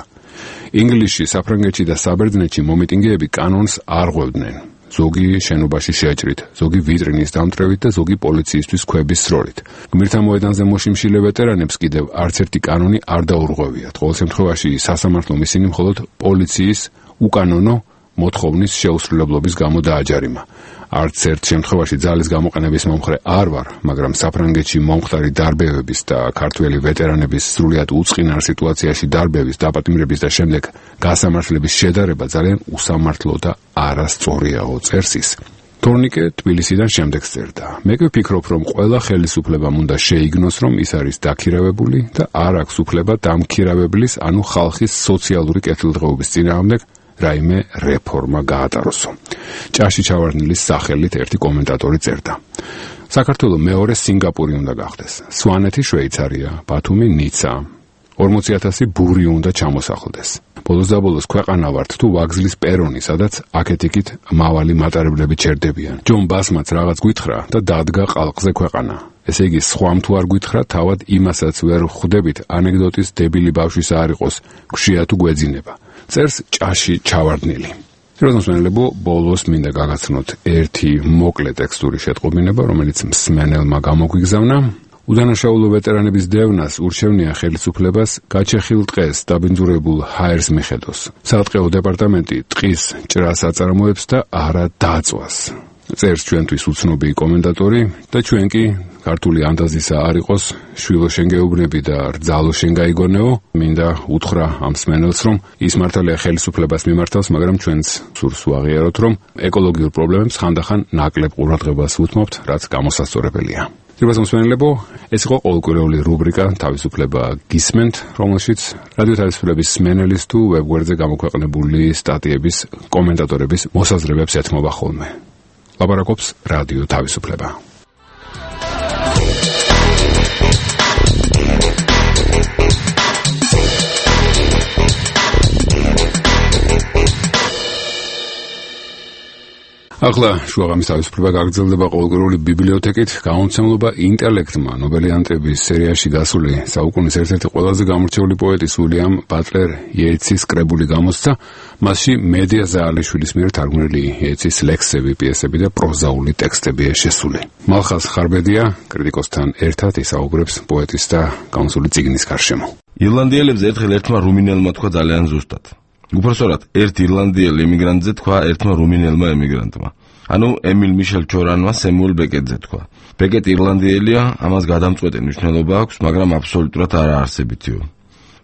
ინგლისში, საფრანგეთში და საბერძნეთში მომიტინგეები კანონს არ ღვევდნენ. ზოგი შენობაში შეჭრით, ზოგი ვიტრინის დამტრევით და ზოგი პოლიციისთვის ქვების სროლით. გმირთა მოედანზე მოშიმშილე ვეტერანებს კიდევ არც ერთი კანონი არ დაურღვევიათ. ყოველ შემთხვევაში სასამართლომ ისინი მხოლოდ პოლიციის უკანონო მოთხოვნის შეუსრულებლობის გამო დააჯარიმა. არც ერთ შემთხვევაში ძალის გამოყენების მომხრე არ ვარ, მაგრამ საფრანგეთში მომხდარი დარბევების და ქართველი ვეტერანების სრულიად უწყინარ სიტუაციაში დარბევის, დაპატიმრების და შემდეგ გასამართლების შედარება ძალიან უსამართლო და არასწორიაო, წერს ის. თორნიკე თბილისიდან შემდეგს წერდა. მე კი ვფიქრობ, რომ ყველა ხელისუფლებამ უნდა შეიგნოს, რომ ის არის დაქირავებული და არ აქვს უფლება დამქირავებლის, ანუ ხალხის სოციალური კეთილდღეობის წინააღმდეგ რაიმე რეფორმა გაატაროსო. ჭაში ჩავარდნილის სახელით ერთი კომენტატორი წერდა. საქართველო მეორე სინგაპური უნდა გახდეს. სვანეთი შვეიცარია, ბათუმი ნიცა. ორმოცი ათასი ბური უნდა ჩამოსახლდეს. ბოლოს და ბოლოს ქვეყანა ვართ თუ ვაგზლის პერონი, სადაც აქეთ-იქით მავალი მატარებლები ჩერდებიან. ჯონ ბასმაც რაღაც გვითხრა და დადგა ყალყზე ქვეყანა. ესე იგი, სხვამ თუ არ გვითხრა, თავად იმასაც ვერ ხვდებით, ანეკდოტის დებილი ბავშვის არ იყოს, გშია თუ გვეძინება. წერს ჭაში ჩავარდნილი. როზმოსმენელებო, ბოლოს მინდა გაგაცნოთ ერთი მოკლე ტექსტური შეტყობინება, რომელიც მსმენელმა გამოგვიგზავნა. უდანაშაულო ვეტერანების დევნას ურჩევნია ხელისუფლებას გაჩეხილ ტყეს დაბინძურებულ ჰაერს მიხედოს. სატყეო დეპარტამენტი ტყის ჭრას აწარმოებს და არა დაწვას. წერს ჩვენთვის უცნობი კომენტატორი და ჩვენ კი ქართული ანდაზისა არ იყოს, შვილო შენ გეუბნები და რძალო შენ გაიგონეო. მინდა უთხრა ამ მსმენელს, რომ ის მართალია ხელისუფლებას მიმართავს, მაგრამ ჩვენც სურს ვაღიაროთ, რომ ეკოლოგიურ პრობლემებს ხანდახან ნაკლებ ყურადღებას უთმობთ, რაც გამოსასწორებელია. ძირფას მსმენელებო, ეს იყო ყოველკვირეული რუბრიკა თავისუფლება გისმენთ, რომელშიც რადიო თავისუფლების მსმენელის თუ ვებგვერდზე გამოქვეყნებული სტატიების კომენტატორების მოსაზრებებს ეთმობა ხოლმე. ლაპარაკობს რადიო თავისუფლება. ახლა შუაღამის თავისუფლება გაგრძელდება ყოველკვირეული ბიბლიოთეკით. გამომცემლობა ინტელექტმა ნობელიანტების სერიაში გასული საუკუნის ერთ-ერთი ყველაზე გამორჩეული პოეტის უილიამ ბატლერ იეიცის კრებული გამოსცა. მასში მედია ზაალიშვილის მიერ თარგმნილი იეიცის ლექსები, პიესები და პროზაული ტექსტებია შესული. მალხაზ ხარბედია კრიტიკოსთან ერთად ისაუბრებს პოეტის და გამოსული წიგნის გარშემო. ირლანდიელებს ერთხელ ერთმა რუმინელმა თქვა ძალიან ზუსტად. უпроსორად ერთ ირლანდიელ ემიგრანტზე თქვა ერთმა რუმინელმა ემიგრანტმა. ანუ ემილ მიშელ ჩორანმა სემუელ ბეკეტზე თქვა. ბეკეტი ირლანდიელია, ამას გადამწყვეტი მნიშვნელობა აქვს, მაგრამ აბსოლუტურად არაარსებითიო.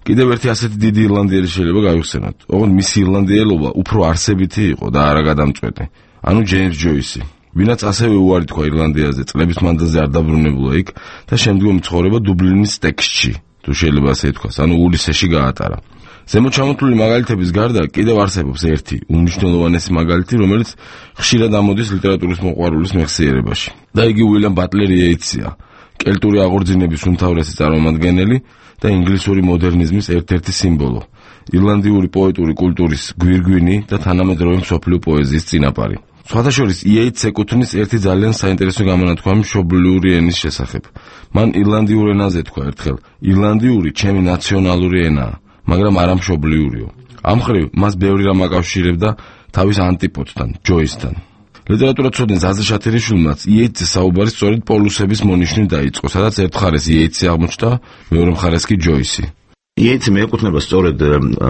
კიდევ ერთი ასეთი დიდი ირლანდიელი შეიძლება გავიხსენოთ. ოღონდ მისი ირლანდიელობა უფრო არსებითი იყო და არა გადამწყვეტი. ანუ ჯეიმს ჯოისი, ვინაც ასევე უარი თქვა ირლანდიაზე, წლების მანძილზე არ დაბრუნებულა იქ და შემდგომ ცხოვრება დუბლინის ტექსტში, თუ შეიძლება ასე ითქვას, ანუ ულისეში გაატარა. ზემოთ ჩამოთვლილი მაგალითების გარდა კიდევ არსებობს ერთი უმნიშვნელოვანესი მაგალითი, რომელიც ხშირად ამოდის ლიტერატურის მოყვარულის მეხსიერებაში. და იგი უილიამ ბატლერ იეიცია. კელტური აღორძინების უმთავრესი წარმომადგენელი და ინგლისური მოდერნიზმის ერთ-ერთი სიმბოლო. ირლანდიური პოეტური კულტურის გვირგვინი და თანამედროვე მსოფლიო პოეზიის წინაპარი. სხვათა შორის იეიტსს ეკუთვნის ერთი ძალიან საინტერესო გამონათქვამი მშობლიური ენის შესახებ. მან ირლანდიურ ენაზე თქვა ერთხელ: ირლანდიური ჩემი ნაციონალური ენაა, მაგრამ არა მშობლიურიო. ამ მხრივ მას ბევრი რამ აკავშირებდა თავის ანტიპოდთან, ჯოისთან. ლიტერატურაცოდნის ზაზა შათერიშვილმაც იეიტსის საუბარი სწორედ პოლუსების მონიშნით დაიწყო, სადაც ერთ მხარეს იეიტსი აღმოჩნდა, მეორე მხარეს კი ჯოისი. იეიტსი მიეკუთვნება სწორედ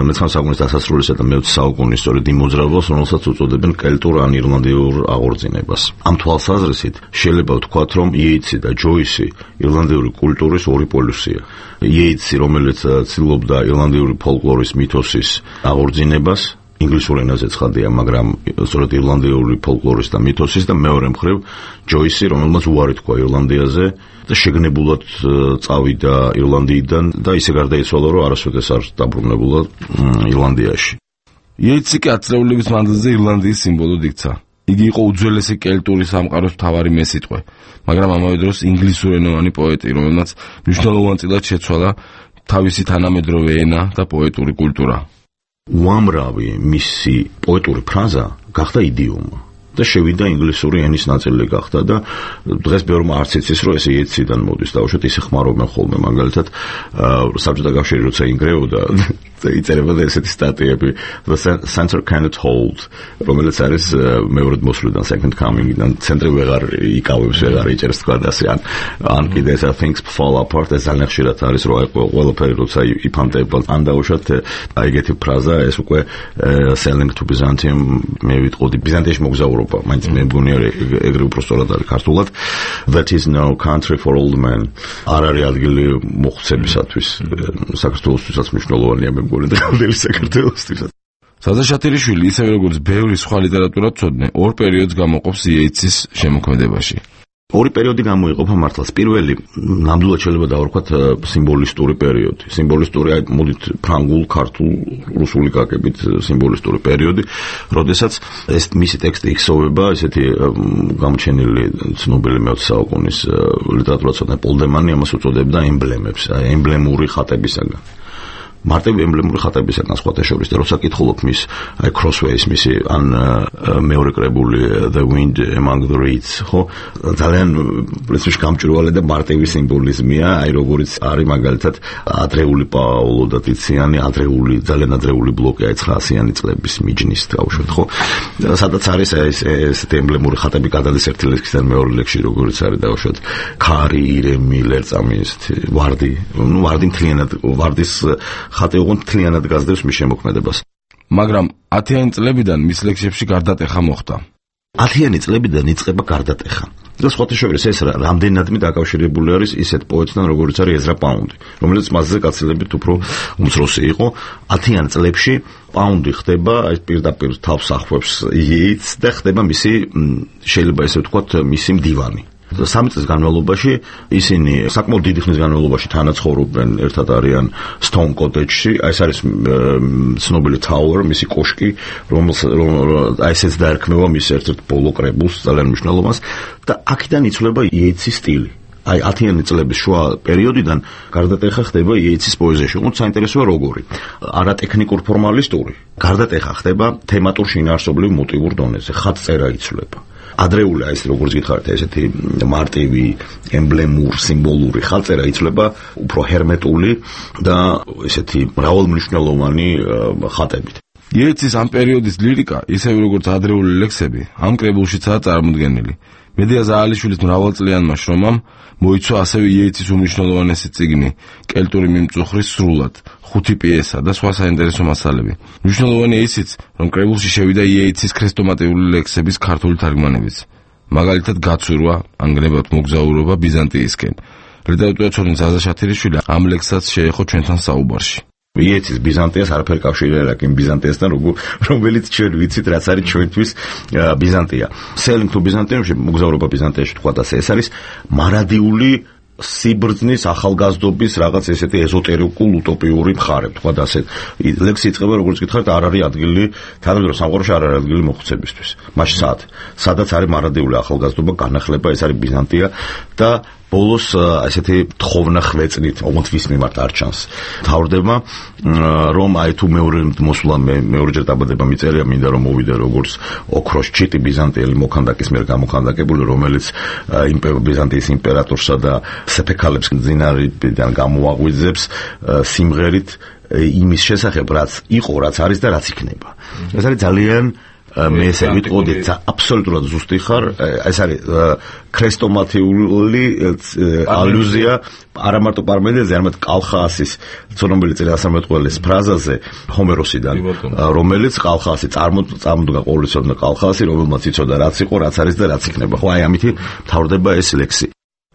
მეცხრამე საუკუნის დასასრულისა და მეოცე საუკუნის სწორედ იმ მოძრაობას, რომელსაც უწოდებენ კელტურ ან ირლანდიურ აღორძინებას. ამ თვალსაზრისით შეიძლება ვთქვათ, რომ იეიტსი და ჯოისი ირლანდიური კულტურის ორი პოლუსია. იეიტსი, რომელიც ცდილობდა ირლანდიური ფოლკლორის მითოსის აღორძინებას, ინგლისურ ენაზე ცხადია, მაგრამ სწორედ ირლანდიური ფოლკლორის და მითოსის და მეორე მხრივ ჯოისი, რომელმაც უარი თქვა ირლანდიაზე და შეგნებულად წავიდა ირლანდიიდან და ისე გარდაიცვალა, რომ არასოდეს არ დაბრუნებულა ირლანდიაში. იეიტსი კი ათწლეულების მანძილზე ირლანდიის სიმბოლოდ იქცა. იგი იყო უძველესი კელტური სამყაროს მთავარი მესიტყვე, მაგრამ ამავე დროს ინგლისურენოვანი პოეტი, რომელმაც მნიშვნელოვანწილად შეცვალა თავისი თანამედროვე ენა და პოეტური კულტურა. უამრავი მისი პოეტური ფრაზა გახდა იდიომა და შევიდა ინგლისური ენის ნაწილი გახდა და დღეს ბევრმა არც იცის, რომ ეს იეიტსიდან მოდის და უშუალოდ ისე ხმარობენ ხოლმე, მაგალითად საბჭოთა კავშირი როცა ინგრეოდა იწერებოდა ესეთი სტატიები The Center Cannot Hold, რომელიც არის მეორედ მოსვლიდან Second Coming-დან, ცენტრი ვეღარ იკავებს, ვეღარ იჭერს თქვა და ასე ან ან კიდე ესა Things Fall Apart, ეს ძალიან ხშირად არის, რომ აი ყველაფერი როცა იფანტება, ან დაუშვათ აი ეგეთი ფრაზა, ეს უკვე Selling to Byzantium, მე ვიტყოდი ბიზანტიაში მოგზაურობა, მაინც მე მგონია ეგრე უფრო სწორად არის ქართულად, That is no country for old men. არ არის ადგილი მოხუცებისათვის, საქართველოსთვისაც მნიშვნელოვანია მე ზაზა შათერიშვილი, ისევე როგორც ბევრი სხვა ლიტერატურათმცოდნე, ორ პერიოდს გამოყოფს იეიტსის შემოქმედებაში. ორი პერიოდი გამოიყოფა მართლაც. პირველი, ნამდვილად შეიძლება დავარქვათ სიმბოლისტური პერიოდი. სიმბოლისტური, აი მოდით ფრანგულ, ქართულ, რუსული გაგებით სიმბოლისტური პერიოდი, როდესაც ეს მისი ტექსტი იხსოვება, ესეთი გამოჩენილი ცნობილი მეოცე საუკუნის ლიტერატურათმცოდნე პოლ დემანი ამას უწოდებდა ემბლემებს, აი ემბლემური ხატებისაგან. მარტივ ემბლემური ხატებისაგან სხვათა შორის და როცა კითხულობ მის აი Crossways მისი ან მეორე კრებული The Wind Among the Reeds, ხო, ძალიან პრინციპში გამჭვირვალე და მარტივი სიმბოლიზმია, აი როგორიც არის მაგალითად ადრეული პაოლო და ტიციანი, ადრეული, ძალიან ადრეული ბლოკი, აი ცხრაასიანი წლების მიჯნის თავშოთ, ხო, სადაც არის ეს ესეთი ემბლემური ხატები გადადის ერთი ლექსიდან მეორე ლექსში, როგორიც არის თავშოთ ქარი, ირემი, ლერწამი, ესეთი ვარდი, ნუ ვარდი მთლიანად ვარდის ხატი უღონ მთლიანად გაზრდებს მის შემოქმედებას. მაგრამ ათიანი წლებიდან მის ლექსებში გარდატეხა მოხდა. ათიანი წლებიდან იწყება გარდატეხა. და სხვათა შორის ეს რამდენადმე დაკავშირებული არის ისეთ პოეტთან, როგორც არის ეზრა პაუნდი, რომელიც მასზე გაცილებით უფრო უმცროსი იყო. ათიან წლებში პაუნდი ხდება, აი პირდაპირ თავს ახвებს იეიტს და ხდება მისი, შეიძლება ესე ვთქვათ, მისი მდივანი. სამი წლის განმავლობაში ისინი საკმაოდ დიდი ხნის განმავლობაში თანაცხოვრობენ, ერთად არიან Stone Cottage-ში, აი ეს არის ცნობილი Tower, მისი კოშკი, რომელსაც აი ესეც დაერქმევა მის ერთ-ერთ ბოლო კრებულს, ძალიან მნიშვნელოვანს და აქედან იცვლება იეიტსის სტილი. აი ათიანი წლების შუა პერიოდიდან გარდატეხა ხდება იეიტსის პოეზიაში. უფრო საინტერესოა როგორი. არატექნიკურ ფორმალისტური. გარდატეხა ხდება თემატურ შინაარსობრივ მოტივურ დონეზე. ხატწერა იცვლება. ადრეული აი ეს როგორც გითხარით ესეთი მარტივი ემბლემურ სიმბოლური ხალწერა იცვლება უფრო ჰერმეტული და ესეთი მრავალმნიშვნელოვანი ხატებით. იეიტსის ამ პერიოდის ლირიკა, ისევე როგორც ადრეული ლექსები, ამ კრებულშიცაა წარმოდგენილი. მედია ზაალიშვილის მრავალწლიანმა შრომამ მოიცვა ასევე იეიტსის უმნიშვნელოვანესი წიგნი, კელტური მიმწუხრის სრულად, ხუთი პიესა და სხვა საინტერესო მასალები. მნიშვნელოვანია ისიც, რომ კრებულში შევიდა იეიტსის ქრესტომატიული ლექსების ქართული თარგმანებიც. მაგალითად, გაცურვა, ანგრებად მოგზაურობა ბიზანტიისკენ. ლიტერატურაცოდნის ზაზა შათერიშვილი ამ ლექსსაც შეეხო ჩვენთან საუბარში. იეიტსის ბიზანტიას არაფერი კავშირი არ აქვს იმ ბიზანტიასთან, რომელიც ჩვენ ვიცით, რაც არის ჩვენთვის ბიზანტია. Selling to Byzantium-ში მოგზაურობა ბიზანტიაში თქვა და ეს არის მარადიული სიბრძნის ახალგაზრდობის რაღაც ესეთი ეზოტერიკულ უტოპიური მხარე, თქვა და ასე. ლექსი იწყება, როგორც გითხარით, არ არის ადგილი, თანამედროვე სამყაროში არ არის ადგილი მოხუცებისთვის. მაშინ სად? სადაც არის მარადიული ახალგაზრდობა, განახლება, ეს არის ბიზანტია და ბოლოს ასეთი თხოვნა ხვეწნით, ოღონდ ვის მიმართ არ ჩანს. თავდება რომ აი თუ მეორე მოსვლა მეორეჯერ დაბადება მიწერია, მინდა რომ მოვიდე როგორც ოქროს ჩიტი ბიზანტიელი მოქანდაკის მიერ გამოქანდაკებული, რომელიც ბიზანტიის იმპერატორსა და სეფექალებს ძინარიდან გამოაღვიძებს სიმღერით იმის შესახებ, რაც იყო, რაც არის და რაც იქნება. ეს არის ძალიან მე ესე ვიტყოდი, აბსოლუტურად ზუსტი ხარ, ეს არის ქრესტომათიული ალუზია არა მარტო პარმენიდესზე, არამედ კალხაასის ცნობილი წინასწარმეტყველის ფრაზაზე ჰომეროსიდან, რომელიც კალხაასი წარმოდგა ყოვლისოდნა კალხაასი, რომელმაც იცოდა რაც იყო, რაც არის და რაც იქნება. ხო, აი ამითი მთავრდება ეს ლექსი.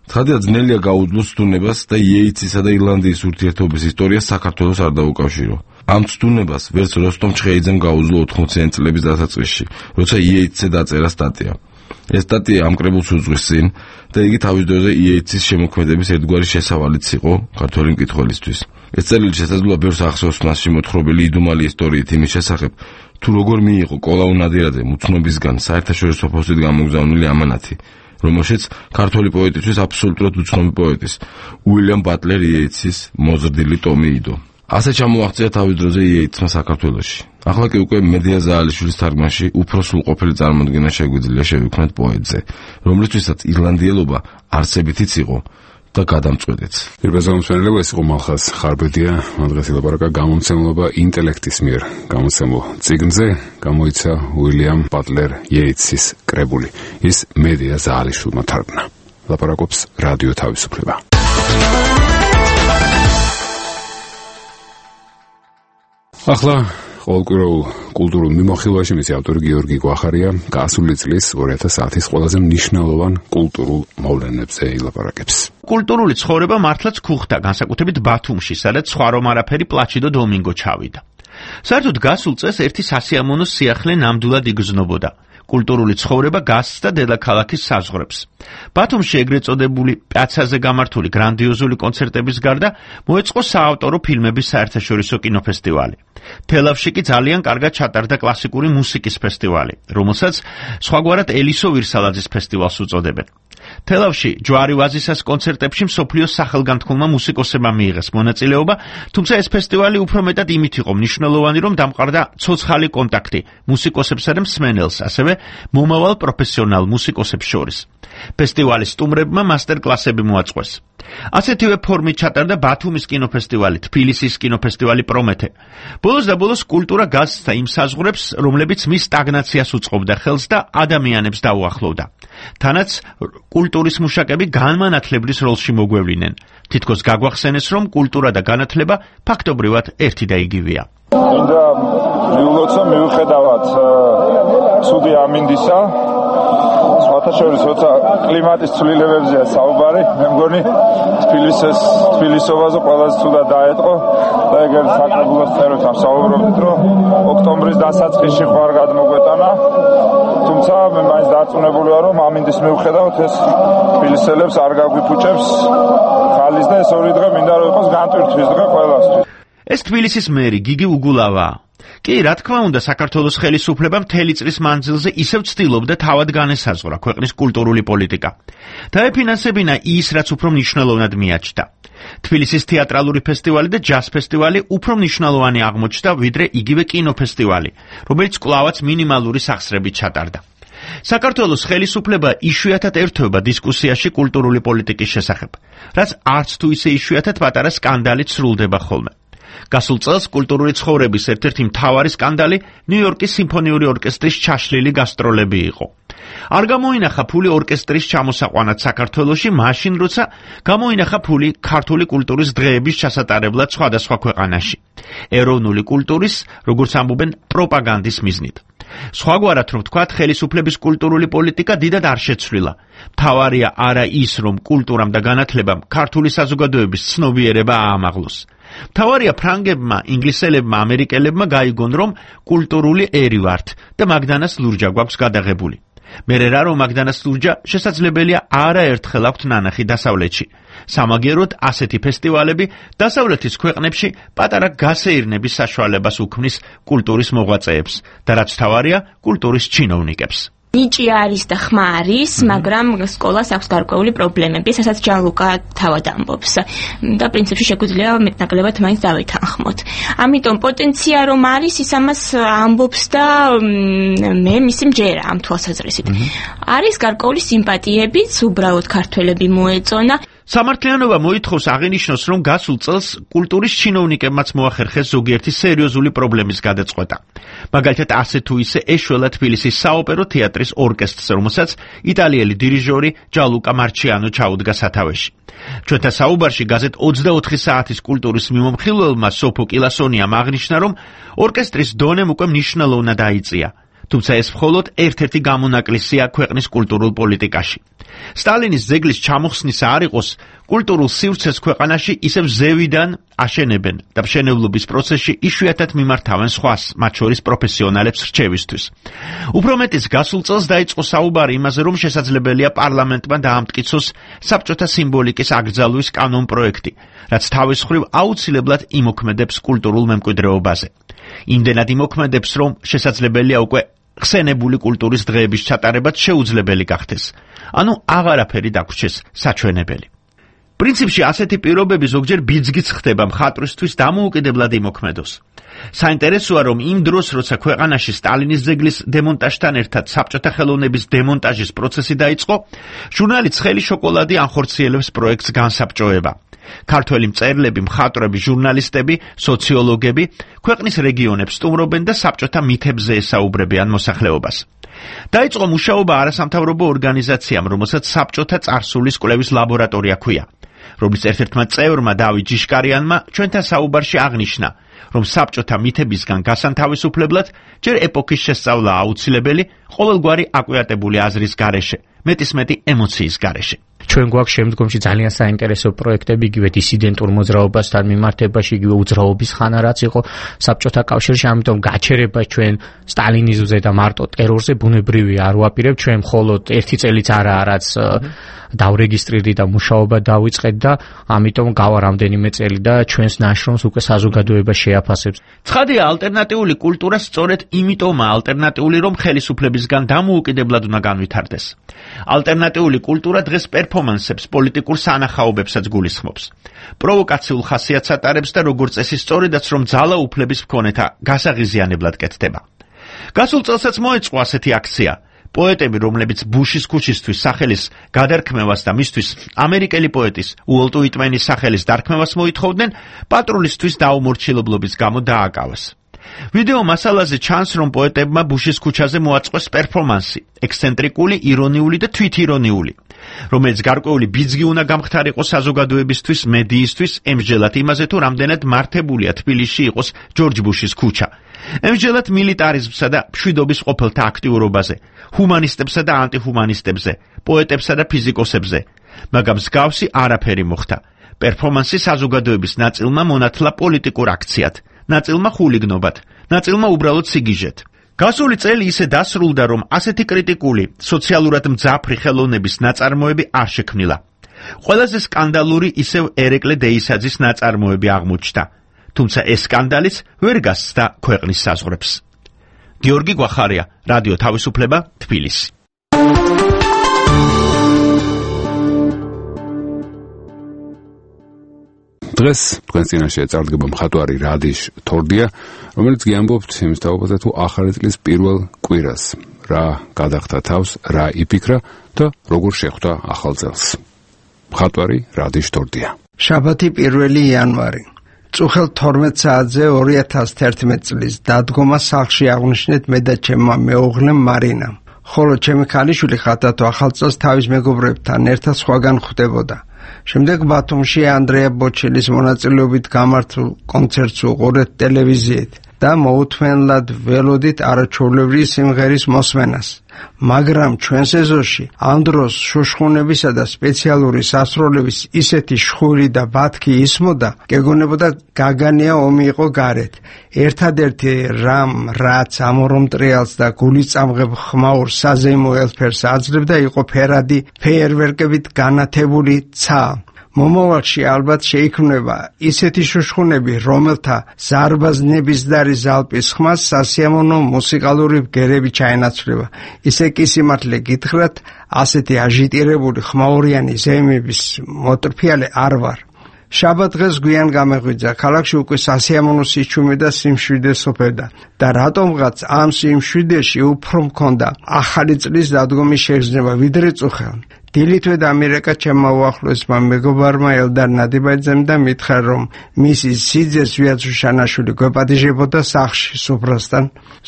ცხადია ძნელია გაუძლოს ცდუნებას და იეიცისა და ირლანდიის ურთიერთობის ისტორია საქართველოს არ დაუკავშირო. ამ ცდუნებას ვერც როსტომ ჩხეიძემ გაუძლო ოთხმოციანი წლების დასაწყისში, როცა იეიცზე დაწერა სტატია. ეს სტატია ამ კრებულს უძღვის წინ და იგი თავის დროზე იეიცის შემოქმედების ერთგვარი შესავალიც იყო ქართველი მკითხველისთვის. ეს წერილი შესაძლოა ბევრს ახსოვს მასში მოთხრობილი იდუმალი ისტორიით იმის შესახებ, თუ როგორ მიიღო კოლაუ ნადირაძე მუცნობისგან საერთაშორისო ფოსტით გამოგზავნილი ამანათი, რომელშიც ქართველი პოეტისთვის აბსოლუტურად უცნობი პოეტის უილიამ ბატლერ იეიცის მოზრდილი ტომი იდო. ასე ჩამოაღწია თავის დროზე იეიცმა საქართველოში. ახლა კი უკვე მედია ზაალიშვილის თარგმანში უფრო სრულყოფილი წარმოდგენა შეგვიძლია შევიქმნათ პოეტზე, რომლისთვისაც ირლანდიელობა არსებითიც იყო და გადამწყვეტიც. პირველ მსმენელობა ეს იყო მალხაზ ხარბედია, მან დღეს ილაპარაკა გამომცემლობა ინტელექტის მიერ გამოცემულ წიგნზე, გამოიცა უილიამ ბატლერ იეიცის კრებული. ის მედია ზაალიშვილმა თარგმნა. ლაპარაკობს რადიო თავისუფლება. ახლა ყოველკვირეულ კულტურულ მიმოხილვაში მისი ავტორი გიორგი გვახარია გასული წლის ორი ათას ათის ყველაზე მნიშვნელოვან კულტურულ მოვლენებზე ილაპარაკებს. კულტურული ცხოვრება მართლაც ქუხდა, განსაკუთრებით ბათუმში, სადაც სხვა რომ არაფერი პლაჩიდო დომინგო ჩავიდა. საერთოდ გასულ წელს ერთი სასიამოვნო სიახლე ნამდვილად იგრძნობოდა. კულტურული ცხოვრება გასცდა დედაქალაქის საზღვრებს. ბათუმში ეგრეთ წოდებული პიაცაზე გამართული გრანდიოზული კონცერტების გარდა მოეწყო საავტორო ფილმების საერთაშორისო კინოფესტივალი. თელავში კი ძალიან კარგად ჩატარდა კლასიკური მუსიკის ფესტივალი, რომელსაც სხვაგვარად ელისო ვირსალაძის ფესტივალს უწოდებენ. თელავში ჯვარი ვაზისას კონცერტებში მსოფლიოს სახელგანთქმულმა მუსიკოსებმა მიიღეს მონაწილეობა, თუმცა ეს ფესტივალი უფრო მეტად იმით იყო მნიშვნელოვანი, რომ დამყარდა ცოცხალი კონტაქტი მუსიკოსებსა და მსმენელს, ასევე მომავალ პროფესიონალ მუსიკოსებს შორის. ფესტივალის სტუმრებმა მასტერ-კლასები მოაწყვეს. ასეთივე ფორმით ჩატარდა ბათუმის კინოფესტივალი, თბილისის კინოფესტივალი პრომეთე. ბოლოს და ბოლოს კულტურა გასცდა იმ საზღვრებს, რომლებიც მის სტაგნაციას უწყობდა ხელს და ადამიანებს დაუახლოვდა. თანაც კულტურის მუშაკები განმანათლებლის როლში მოგვევლინენ. თითქოს გაგვახსენეს, რომ კულტურა და განათლება ფაქტობრივად ერთი და იგივეა. მინდა მიულოცა მიუხედავად ცუდი ამინდისა, სხვათა შორის როცა კლიმატის ცვლილებებზეა საუბარი, მე მგონი თბილისის თბილისობაზე ყველაზე ცუდად დაეტყო და ეგერ საკრებულოს წეროთამ საუბრობთ, რომ ოქტომბრის დასაწყისში ხوار გადმოგვეტანა, თუმცა მე მაინც დარწმუნებული ვარ, რომ ამინდის მიუხედავად ეს თბილისელებს არ გაგვიფუჭებს ხალის და ეს ორი დღე მინდა რომ იყოს განტვირთვის დღე ყველასთვის. ეს თბილისის მერი გიგი უგულავაა. კი, რა თქმა უნდა, საქართველოს ხელისუფლება მთელი წლის მანძილზე ისევ ცდილობდა თავად განესაზღვრა ქვეყნის კულტურული პოლიტიკა. დაეფინანსებინა ის, რაც უფრო მნიშვნელოვნად მიაჩნდა. თბილისის თეატრალური ფესტივალი და ჯაზ ფესტივალი უფრო მნიშვნელოვანი აღმოჩნდა, ვიდრე იგივე კინოფესტივალი, რომელიც კვლავაც მინიმალური სახსრებით ჩატარდა. საქართველოს ხელისუფლება იშვიათად ერთვება დისკუსიაში კულტურული პოლიტიკის შესახებ, რაც არც თუ ისე იშვიათად პატარა სკანდალით სრულდება ხოლმე. გასულ წელს კულტურული ცხოვრების ერთ-ერთი მთავარი სკანდალი ნიუ-იორკის სიმფონიური ორკესტრის ჩაშლილი გასტროლები იყო. არ გამოინახა ფული ორკესტრის ჩამოსაყვანად საქართველოში, მაშინ როცა გამოინახა ფული ქართული კულტურის დღეების ჩასატარებლად სხვადასხვა ქვეყანაში. ეროვნული კულტურის, როგორც ამბობენ, პროპაგანდის მიზნით. სხვაგვარად რომ ვთქვათ, ხელისუფლების კულტურული პოლიტიკა დიდად არ შეცვლილა. მთავარია არა ის, რომ კულტურამ და განათლებამ ქართული საზოგადოების ცნობიერება აამაღლოს. მთავარია ფრანგებმა, ინგლისელებმა, ამერიკელებმა გაიგონ, რომ კულტურული ერი ვართ და მაგდანას ლურჯა გვაქვს გადაღებული. მერე რა რომ მაგდანას ლურჯა შესაძლებელია არაერთხელ აქვთ ნანახი დასავლეთში. სამაგეროდ ასეთი ფესტივალები დასავლეთის ქვეყნებში პატარა გასეირნების საშუალებას უქმნის კულტურის მოღვაწეებს და რაც მთავარია, კულტურის ჩინოვნიკებს. ნიჭი არის და ხმა არის, მაგრამ სკოლას აქვს გარკვეული პრობლემები, რასაც ჯალუკა თავად ამბობს. და პრინციპში შეგვიძლია მეტნაკლებად მაინც დავითანხმოთ. ამიტომ პოტენცია რომ არის, ის ამას ამბობს და მე მისი მჯერა ამ თვალსაზრისით. არის გარკვეული სიმპათიებიც, უბრალოდ ქართველები მოეწონა. სამართლიანობა მოითხოვს აღინიშნოს, რომ გასულ წელს კულტურის ჩინოვნიკებმაც მოახერხეს ზოგიერთი სერიოზული პრობლემის გადაწყვეტა. მაგალითად, ასე თუ ისე ეშველა თბილისის საოპერო თეატრის ორკესტრს, რომელსაც იტალიელი დირიჟორი ჯალუკა მარჩიანო ჩაუდგა სათავეში. ჩვენთან საუბარში გაზეთ ოცდაოთხი საათის კულტურის მიმომხილველმა სოფო კილასონიამ აღნიშნა, რომ ორკესტრის დონემ უკვე მნიშვნელოვნად აიწია. თუმცა ეს მხოლოდ ერთ-ერთი გამონაკლისია ქვეყნის კულტურულ პოლიტიკაში. სტალინის ძეგლის ჩამოხსნისა არ იყოს, კულტურულ სივრცეს ქვეყანაში ისევ ზევიდან აშენებენ და მშენებლობის პროცესში იშვიათად მიმართავენ სხვას, მათ შორის პროფესიონალებს რჩევისთვის. უფრო მეტიც, გასულ წელს დაიწყო საუბარი იმაზე, რომ შესაძლებელია პარლამენტმა დაამტკიცოს საბჭოთა სიმბოლიკის აკრძალვის კანონპროექტი, რაც თავის მხრივ აუცილებლად იმოქმედებს კულტურულ მემკვიდრეობაზე. იმდენად იმოქმედებს, რომ შესაძლებელია უკვე ხსენებული კულტურის დღეების ჩატარებაც შეუძლებელი გახდეს. ანუ აღარაფერი დაგვრჩეს საჩვენებელი. პრინციპში ასეთი პირობები ზოგჯერ ბიძგიც ხდება მხატვრისთვის დამოუკიდებლად იმოქმედოს. საინტერესოა, რომ იმ დროს, როცა ქვეყანაში სტალინის ძეგლის დემონტაჟთან ერთად საბჭოთა ხელოვნების დემონტაჟის პროცესი დაიწყო, ჟურნალი ცხელი შოკოლადი ანხორციელებს პროექტს განსაბჭოება. ქართველი მწერლები, მხატვრები, ჟურნალისტები, სოციოლოგები ქვეყნის რეგიონებს სტუმრობენ და საბჭოთა მითებზე ესაუბრებიან მოსახლეობას. დაიწყო მუშაობა არასამთავრობო ორგანიზაციამ, რომელსაც საბჭოთა წარსულის კვლევის ლაბორატორია ჰქვია, რომლის ერთ-ერთმა წევრმა დავით ჯიშკარიანმა ჩვენთან საუბარში აღნიშნა, რომ საბჭოთა მითებისგან გასანთავისუფლებლად ჯერ ეპოქის შესწავლა აუცილებელი, ყოველგვარი აკვიატებული აზრის გარეშე, მეტისმეტი ემოციის გარეშე. ჩვენ გვაქვს შემდგომში ძალიან საინტერესო პროექტები, იგივე დისიდენტურ მოძრაობასთან მიმართებაში, იგივე უძრაობის ხანა რაც იყო საბჭოთა კავშირში, ამიტომ გაჩერება ჩვენ სტალინიზმზე და მარტო ტერორზე ბუნებრივია, არ ვაპირებთ ჩვენ მხოლოდ ერთი წელიც არაა, რაც დავრეგისტრირდი და მუშაობა დავიწყეთ და ამიტომ გავა რამდენიმე წელი და ჩვენს ნაშრომს უკვე საზოგადოება შეაფასებს. ცხადია, ალტერნატიული კულტურა სწორედ იმიტომაა ალტერნატიული, რომ ხელისუფლებისგან დამოუკიდებლად უნდა განვითარდეს. ალტერნატიული კულტურა დღეს პერფორმანსებს, პოლიტიკურ სანახაობებსაც გულისხმობს. პროვოკაციულ ხასიათს ატარებს და როგორც წესი სწორედაც რომ ძალაუფლების მქონეთა გასაღიზიანებლად კეთდება. გასულ წელსაც მოეწყო ასეთი აქცია. პოეტები, რომლებიც ბუშის ქუჩისთვის სახელის გადარქმევას და მისთვის ამერიკელი პოეტის უოლტ უიტმენის სახელის დარქმევას მოითხოვდნენ, პატრულისთვის დაუმორჩილებლობის გამო დააკავეს. ვიდეო მასალაზე ჩანს, რომ პოეტებმა ბუშის ქუჩაზე მოაწყვეს პერფორმანსი, ექსცენტრიკული, ირონიული და თვითირონიული, რომელიც გარკვეული ბიძგი უნდა გამხდარიყო საზოგადოებისთვის, მედიისთვის, ემსჯელად იმაზე, თუ რამდენად მართებულია თბილისში იყოს ჯორჯ ბუშის ქუჩა. ემსჯელად მილიტარიზმსა და მშვიდობის ყოფილთა აქტიურობაზე, ჰუმანისტებსა და ანტიჰუმანისტებზე, პოეტებსა და ფიზიკოსებზე, მაგრამ მსგავსი არაფერი მოხდა. პერფორმანსი საზოგადოების ნაწილმა მონათლა პოლიტიკურ აქციად, ნაწილმა ხულიგნობად, ნაწილმა უბრალოდ სიგიჟეთ. გასული წელი ისე დასრულდა, რომ ასეთი კრიტიკული, სოციალურად მძაფრი ხელოვნების ნაწარმოები არ შექმნილა. ყველაზე სკანდალური ისევ ერეკლე დეისაძის ნაწარმოები აღმოჩნდა. თუმცა ეს სკანდალიც ვერ გასცდა ქვეყნის საზღვრებს. გიორგი გვახარია, რადიო თავისუფლება, თბილისი. დღეს თქვენ წინაშე წარდგება მხატვარი რადიშ თორდია, რომელიც გიამბობთ იმის თაობაზე, თუ ახალი წლის პირველ კვირას რა გადახდა თავს, რა იფიქრა და როგორ შეხვდა ახალ წელს. მხატვარი რადიშ თორდია. შაბათი პირველი იანვარი. წუხელ თორმეტ საათზე ორი ათას თერთმეტ წლის დადგომა სახლში აღნიშნეთ მე და ჩემმა მეუღლემ მარინამ. ხოლო ჩემი ქალიშვილი ხათათო ახალ წელს თავის მეგობრებთან ერთად სხვაგან ხვდებოდა. შემდეგ ბათუმში ანდრეა ბოჩელის მონაწილეობით გამართულ კონცერტს უყურეთ ტელევიზიით და მოუთმენლად ველოდით არაჩვეულებრივი სიმღერის მოსმენას. მაგრამ ჩვენს ეზოში ამ დროს შუშხუნებისა და სპეციალური სასროლების ისეთი შხური და ბათქი ისმოდა, გეგონებოდა გაგანია ომი იყო გარეთ. ერთადერთი რამ, რაც ამორომ ტრიალს და გულიწამღებ ხმაურ საზეიმო ელფერს აძლევდა, იყო ფერადი ფეიერვერკებით განათებული ცა. მომავალში ალბათ შეიქმნება ისეთი შუშხუნები, რომელთა ზარბაზნებისდარი ზალპის ხმას სასიამოვნო მუსიკალური ბგერები ჩაენაცვლება. ისე კი სიმართლე გითხრათ, ასეთი აჟიტირებული ხმაურიანი ზეიმების მოტრფიალე არ ვარ. შაბათ დღეს გვიან გამეღვიძა, ქალაქში უკვე სასიამოვნო სიჩუმე და სიმშვიდე სოფევდა და რატომღაც ამ სიმშვიდეში უფრო მქონდა ახალი წლის დადგომის შეგრძნება ვიდრე წუხელ. დილითვე დამირეკა ჩემმა უახლოესმა მეგობარმა ელდარ ნადიბაძემ და მითხრა, რომ მისი სიძეს ვიაცუშანაშვილი გვეპატიჟებოდა სახლში სუფრასთან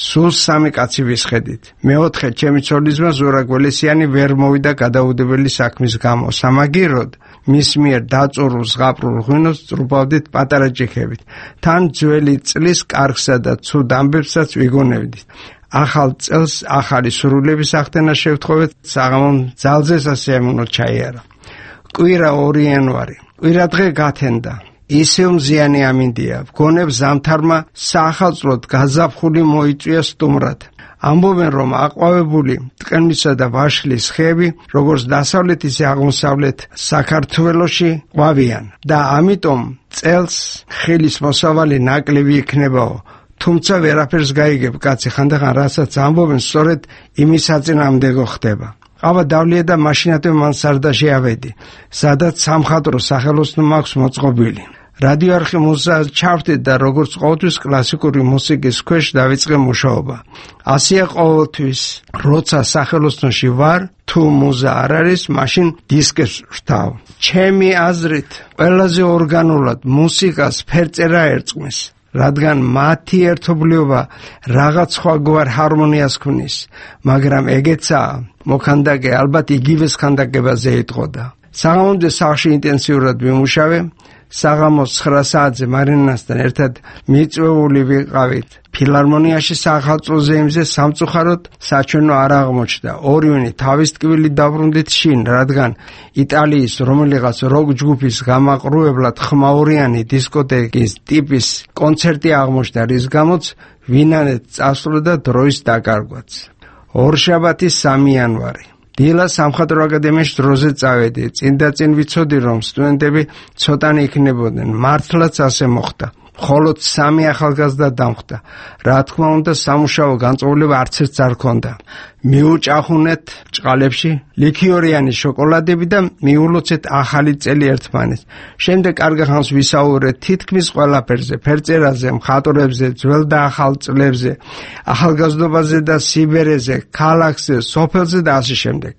სულ სამი კაცი ვისხედით. მეოთხე ჩემი ცოლისმა ზურა გველესიანი ვერ მოვიდა გადაუდებელი საქმის გამო. სამაგიეროდ მის მიერ დაწურულ ზღაპრულ ღვინოს წრუბავდით პატარა ჭიქებით. თან ძველი წლის კარგსა და ცუდ ამბებსაც ვიგონებდით. ახალ წელს ახალი სრულების ახდენა შევთხოვეთ, საღამომ ძალზე სასიამოვნო ჩაიარა. კვირა ორი იანვარი. კვირადღე გათენდა. ისევ მზიანი ამინდია. გონებ ზამთარმა საახალწლოდ გაზაფხული მოიწვია სტუმრად. ამბობენ, რომ აყვავებული ტყემისა და ვაშლის ხეები, როგორც დასავლეთ ისე აღმოსავლეთ საქართველოში ყვავიან და ამიტომ წელს ხილის მოსავალი ნაკლები იქნებაო. თუმცა ვერაფერს გაიგებ, კაცი, ხანდახან რასაც ამბობენ, სწორედ იმის საწინააღმდეგო ხდება. ყავა დავლია და მაშინათვე მან სარდაში ავედი, სადაც სამხატვრო სახელოსნო მაქვს მოწყობილი. რადიო არხი მუსიკას ჩავთით და როგორც ყოველთვის კლასიკური მუსიკის ქვეშ დავიწყე მუშაობა. ასია ყოველთვის, როცა სახელოსნოში ვარ, თუ მუზა არ არის, მაშინ დისკებს ვშთავ. ჩემი აზრით, ყველაზე ორგანულად მუსიკას ფერწერა ერწყმის, რადგან მათი ერთობლიობა რაღაც სხვაგვარ ჰარმონიას ქმნის, მაგრამ ეგეცაა, მოქანდაკე ალბათ იგივეს ქანდაკებაზე იტყოდა. საღამომდე სახლში ინტენსიურად ვიმუშავე, საღამოს ცხრა საათზე მარინასთან ერთად მიწვეული ვიყავით. ფილარმონიაში სახალხო ზეიმზე სამწუხაროდ საჩვენო არ აღმოჩნდა. ორივენი თავის ტკივილი დაბრუნდით შინ, რადგან იტალიის რომელიღაც როკ ჯგუფის გამაყრუებლად ხმაურიანი დისკოტეკის ტიპის კონცერტი აღმოჩნდა, რის გამოც ვინანეთ წასვლა და დროის დაკარგვაც. ორშაბათის სამი იანვარი. დილა სამხატვრო აკადემიაში დროზე წავედი. წინ და წინ ვიცოდი, რომ სტუდენტები ცოტანი იქნებოდნენ. მართლაც ასე მოხდა. მხოლოდ სამი ახალგაზრდა დამხდა. რა თქმა უნდა, სამუშაო განწყობილება არც ერთს არ ჰქონდა. მიუჭახუნეთ ჭყალებში ლიქიორიანი შოკოლადები და მიულოცეთ ახალი წელი ერთმანეთს. შემდეგ კარგ ხანს ვისაუბრეთ თითქმის ყველაფერზე, ფერწერაზე, მხატვრებზე, ძველ და ახალ წლებზე, ახალგაზრდობაზე და სიბერეზე, ქალაქზე, სოფელზე და ასე შემდეგ.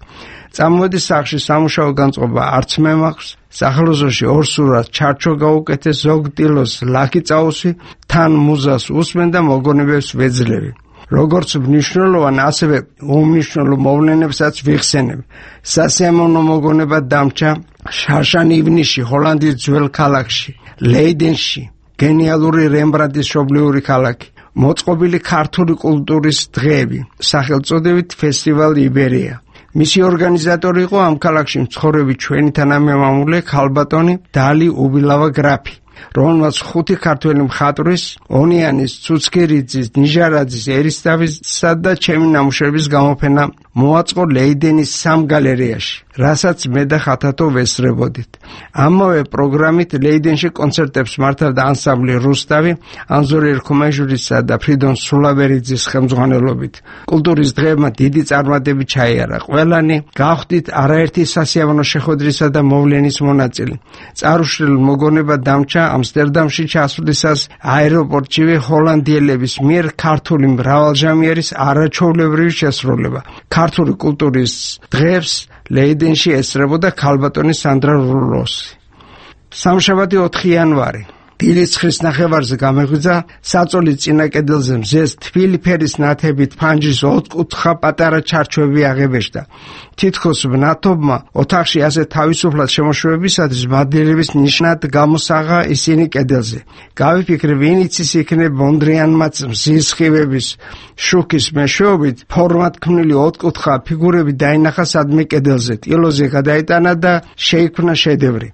წამოდი სახლში სამუშაო განწყობა არც მე მაქვს. სახელოსნოში ორ სურათს ჩარჩო გაუკეთეს, ზოგ ტილოს ლაკი წაუსვი, თან მუზას უსმენ და მოგონებებს ვეძლევი. როგორც მნიშვნელოვან, ასევე უმნიშვნელო მოვლენებსაც ვიხსენებ. სასიამოვნო მოგონება დამჭა შარშან ივნისში, ჰოლანდიის ძველ ქალაქში, ლეიდენში, გენიალური რემბრანტის მშობლიური ქალაქი, მოწყობილი ქართული კულტურის დღეები, სახელწოდებით ფესტივალი იბერია. მისი ორგანიზატორი იყო ამ ქალაქში მცხოვრები ჩვენი თანამემამულე ქალბატონი დალი უბილავა გრაფი, რომელმაც ხუთი ქართველი მხატვრის, ონიანის, ცუცქირიძის, ნიჟარაძის, ერისთავისა და ჩემი ნამუშევრების გამოფენა მოაწყო ლეიდენის სამ გალერეაში, რასაც მე და ხათათო ვესწრებოდით. ამავე პროგრამით ლეიდენში კონცერტებს მართავდა ანსამბლი რუსთავი, ანზორ ერქომაჟურისა და ფრიდონ სულავერიძის ხელმძღვანელობით. კულტურის დღეებმა დიდი წარმატებით ჩაიარა. ყველანი გავხდით არაერთი სასიამოვნო შეხვედრისა და მოვლენის მონაწილე. წარუშლილ მოგონება დამჭა ამსტერდამში ჩასვლისას აეროპორტშივე ჰოლანდიელების მიერ ქართული მრავალჟამიერის არაჩვეულებრივი შესრულება. ქართული კულტურის დღეებს ლეიდენში ესწრებოდა ქალბატონი სანდრა რულოსი. სამშაბათი ოთხი იანვარი. დილის ხრის ნახევარზე გამეღვიძა, საწოლის წინა კედელზე მზეს თბილი ფერის ნათებით ფანჯრის ოთხკუთხა პატარა ჩარჩოები აღებეშდა. თითქოს მნათობმა ოთახში ასე თავისუფლად შემოშვებისათვის მადლიერების ნიშნად გამოსაღა ისინი კედელზე. გავიფიქრე, ვინ იცის იქნებ მონდრიანმაც მზის სხივების შუქის მეშვეობით ფორმად ქმნილი ოთხკუთხა ფიგურები დაინახა სადმე კედელზე, ტილოზე გადაიტანა და შეიქმნა შედევრი.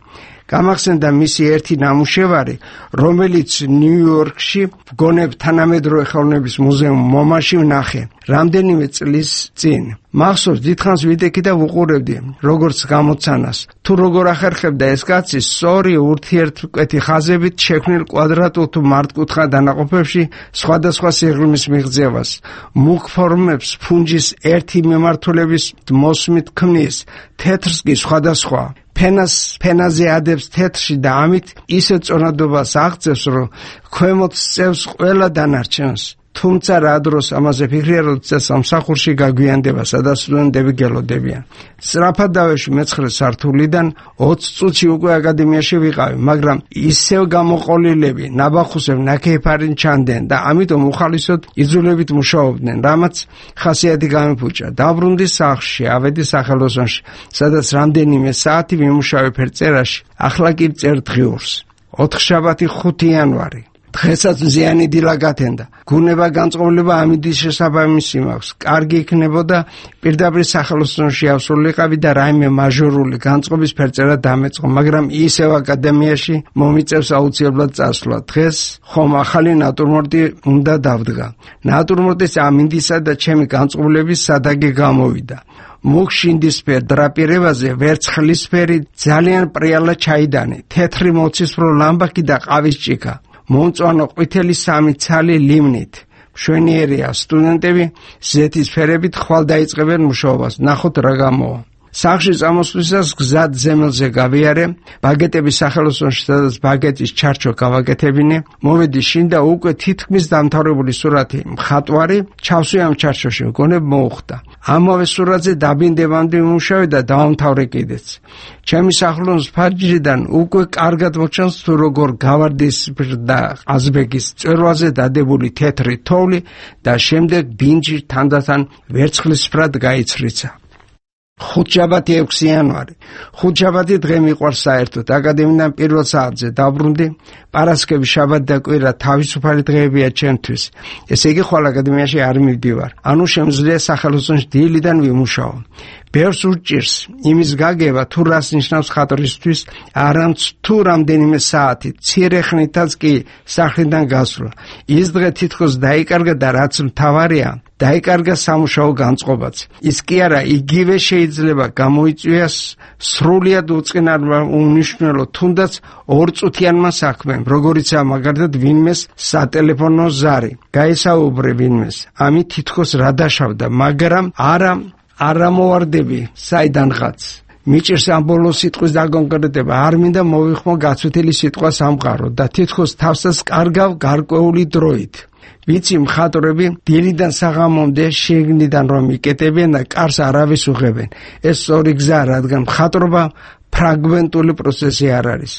გამახსენდა მისი ერთი ნამუშევარი, რომელიც ნიუ-იორკში გონებ თანამედროვე ხელოვნების მუზეუმ მომაში ვნახე რამდენიმე წლის წინ. მახსოვს, დიდხანს ვიდექი და ვუყურებდი, როგორც გამოცანას. თუ როგორ ახერხებდა ეს კაცი სწორი ურთიერთმკვეთი ხაზებით შექმნილ კვადრატულ თუ მართკუთხა დანაყოფებში სხვადასხვა სიღრმის მიღწევას, მუქ ფორმებს ფუნჯის ერთი მიმართულების მოსმით ქმნის, თეთრს კი სხვადასხვა. ფენას ფენაზე ადებს თეთრში და ამით ისე წონადობას აღწევს, რომ ქვემოთ სწევს ყველა დანარჩენს. თუმცა რა დროს ამაზე ფიქრია, როცა სამსახურში გაგვიანდება, სადაც სტუდენტები გელოდებიან. სწრაფად დავეშვი მეცხრე სართულიდან, ოცი წუთში უკვე აკადემიაში ვიყავი, მაგრამ ისევ გამოყოლილები, ნაბახუსებ ნაქეფარინ ჩანდნენ და ამიტომ უხალისოდ იძულებით მუშაობდნენ, რამაც ხასიათი გამიფუჭა. დაბრუნდი სახლში, ავედი სახელოსნოში, სადაც რამდენიმე საათი ვიმუშავე ფერწერაში, ახლა კი წერ დღიურს. ოთხშაბათი ხუთი იანვარი. დღესაც მზიანი დილა გათენდა. გუნება განწყობილება ამიდის შესაბამისი მაქვს. კარგი იქნებოდა პირდაპირ სახელოსნოში ავსრულიყავი და რაიმე მაჟორული განწყობის ფერწერა დამეწყო, მაგრამ ისევ აკადემიაში მომიწევს აუცილებლად წასვლა. დღეს ხომ ახალი ნატურმორტი უნდა დავდგა. ნატურმორტის ამინდისა და ჩემი განწყობილების სადაგი გამოვიდა. მუქ შინდისფერ დრაპირებაზე ვერცხლისფერი ძალიან პრიალა ჩაიდანე, თეთრი მოცისფრო ლამბაკი და ყავის ჭიქა. მომწვანო ყვითელი სამი ცალი ლიმნით. მშვენიერია, სტუდენტები ზეთის ფერებით ხვალ დაიწყებენ მუშაობას. ნახოთ რა გამოვა. სახლში წამოსვლისას გზად ზემელზე გავიარე, ბაგეტების სახელოსნოში, სადაც ბაგეტის ჩარჩო გავაკეთებინე, მოვედი შინ და უკვე თითქმის დამთავრებული სურათი მხატვარი ჩავსვი ამ ჩარჩოში, მგონებ მოუხდა. ამავე სურათზე დაბინდებამდე ვიმუშავე და დავამთავრე კიდეც. ჩემი სახლონის ფარჯრიდან უკვე კარგად მოჩანს თუ როგორ გავარდისფრ და ყაზბეგის წვერვაზე დადებული თეთრი თოვლი და შემდეგ ბინჯი თანდათან ვერცხლისფრად გაიცრიცა. ხუთშაბათი ექვსი იანვარი. ხუთშაბათი დღე მიყვარს საერთოდ. აკადემიიდან პირველ საათზე დაბრუნდი. პარასკევი, შაბათი და კვირა თავისუფალი დღეებია ჩემთვის. ესე იგი ხვალ აკადემიაში არ მივდივარ. ანუ შემიძლია სახელოსნოში დილიდან ვიმუშაო. ბევრს უჭირს იმის გაგება, თუ რას ნიშნავს ხატრისთვის, არამც თუ რამდენიმე საათი, მცირე ხნითაც კი სახლიდან გასვლა. ის დღე თითქოს დაიკარგა და რაც მთავარია, დაიკარგა სამუშაო განწყობაც. ის კი არა, იგივე შეიძლება გამოიწვიოს სრულიად უწყინარმა უნიშნელო, თუნდაც ორწუთიანმა საქმემ, როგორიცაა მაგალითად ვინმეს სატელეფონო ზარი. გაესაუბრე ვინმეს, ამით თითქოს რა დაშავდა, მაგრამ არა არა მოვარდები საიდანღაც. მიჭირს ამ ბოლო სიტყვის დაკონკრეტება, არ მინდა მოვიხმო გაცვეთილი სიტყვა სამყარო და თითქოს თავსაც კარგავ გარკვეული დროით. ვიცი მხატვრები დილიდან საღამომდე შიგნიდან რომ იკეტებიან და კარს არავის უღებენ. ეს სწორი გზაა, რადგან მხატვრობა ფრაგმენტული პროცესი არ არის.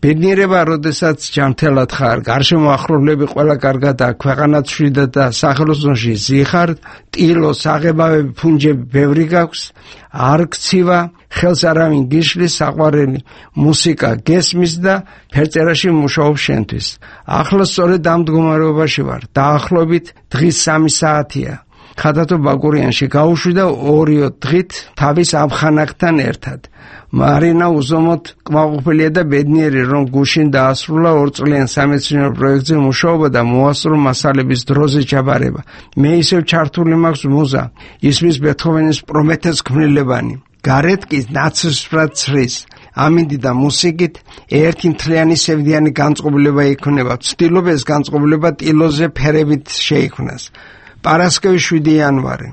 ბედნიერება, როდესაც ჯანმრთელად ხარ, გარშემო ახლობლები ყველა კარგად აქვს, ქვეყანაც მშვიდად და სახელოსნოში ზიხარ, ტილო, საღებავები, ფუნჯები ბევრი გაქვს, არ გცივა, ხელს არავინ გიშლის, საყვარელი მუსიკა გესმის და ფერწერაში მუშაობ შენთვის. ახლა სწორედ ამ მდგომარეობაში ვარ. დაახლოებით დღის სამი საათია. ხათათო ბაკურიანში გავუშვი და ორიო დღით თავის ამხანაგთან ერთად. მარინა უზომოდ კმაყოფილია და ბედნიერი, რომ გუშინ დაასრულა ორწლიან სამეცნიერო პროექტზე მუშაობა და მოასწრო მასალების დროზე ჩაბარება. მე ისევ ჩართული მაქვს მუზა, ისმის ბეთჰოვენის პრომეთეს ქმნილებანი. გარეთ კი ნაცრისფრად ცრის. ამინდი და მუსიკით ერთი მთლიანი სევდიანი განწყობილება იქნება. ვცდილობ ეს განწყობილება ტილოზე ფერებით შეიქმნას. პარასკევი შვიდი იანვარი.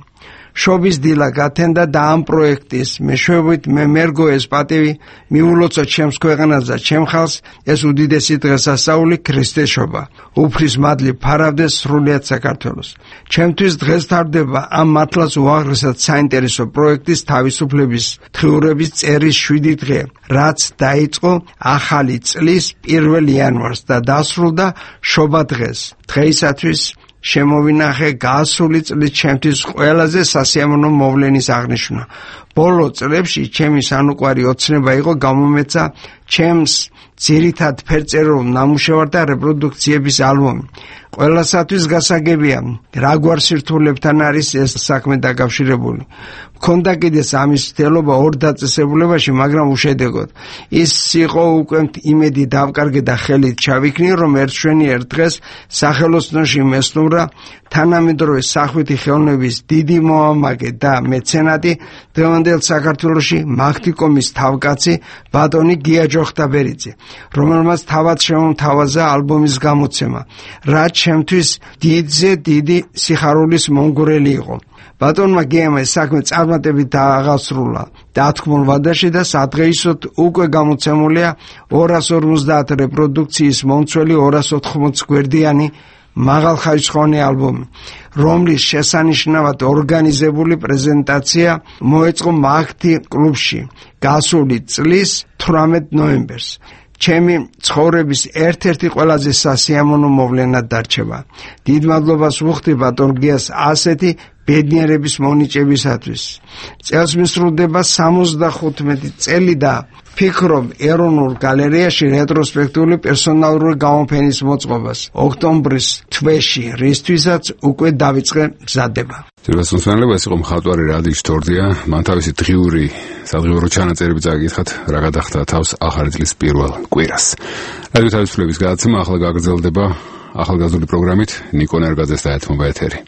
შობის დილა გათენდა და ამ პროექტის მეშვეობით მე მერგო ეს პატივი მიულოცა ჩემს ქვეყანას და ჩემ ხალხს ეს უდიდესი დღესასწაული ქრისტეშობა. უფლის მადლი ფარავდეს სრულიად საქართველოს. ჩემთვის დღეს თარდება ამ მართლაც უაღრესად საინტერესო პროექტის თავისუფლების დღიურების წერის შვიდი დღე, რაც დაიწყო ახალი წლის პირველ იანვარს და დასრულდა შობა დღეს. დღეისათვის შემოვინახე გასული წლის ჩემთვის ყველაზე სასიამოვნო მოვლენის აღნიშვნა. ბოლო წლებში ჩემი სანუკვარი ოცნება იყო გამომეცა ჩემს ძირითად ფერწერულ ნამუშევართა რეპროდუქციების ალბომი. ყველასათვის გასაგებია, რა გვარ სირთულეებთან არის ეს საქმე დაკავშირებული. ქონდა კიდეც ამის მცდელობა ორ დაწესებულებაში, მაგრამ უშედეგოდ. ის იყო უკვე იმედი დავკარგე და ხელით ჩავიქნი, რომ ერთშვენიერ დღეს სახელოსნოში მესტუმრა თანამედროვე სახვითი ხელოვნების დიდი მოამაგე და მეცენატი დღევანდელ საქართველოში მაღთიკომის თავკაცი ბატონი გია ჯოხტაბერიძე, რომელმაც თავად შემომთავაზა ალბომის გამოცემა, რაც ჩემთვის დიდზე დიდი სიხარულის მომგვრელი იყო. ბატონმა გიამ ეს საქმე წარმატებით დააღასრულა დათქმულ ვადაში და სადღეისოდ უკვე გამოცემულია ორას ორმოცდაათ რეპროდუქციის მომცველი ორას ოთხმოცი გვერდიანი მაღალხარისხოვანი ალბომი, რომლის შესანიშნავად ორგანიზებული პრეზენტაცია მოეწყო მაგთი კლუბში გასული წლის თვრამეტ ნოემბერს. ჩემი ცხოვრების ერთ-ერთი ყველაზე სასიამოვნო მოვლენად დარჩება. დიდ მადლობას ვუხდი ბატონ გიას ასეთი ბედნიერების მონიჭებისათვის. წელს მისრულდება სამოცდახუთმეტი წელი და ფიქრობ ეროვნულ გალერეაში რეტროსპექტიული პერსონალური გამოფენის მოწყობას ოქტომბრის თვეში, რისთვისაც უკვე დავიწყე მზადება. ძირფესმსმენელება ეს იყო მხატვარი რადიშ თორდია, მან თავისი დღიური სადღიურო ჩანაწერები წააგითხათ, რა გადახდა თავს ახალი წლის პირველ კვირას. რადიო თავისუფლების გადაცემა ახლა გაგრძელდება ახალგაზრდული პროგრამით, ნიკო ნერგაძეს დაეთმობა ეთერი.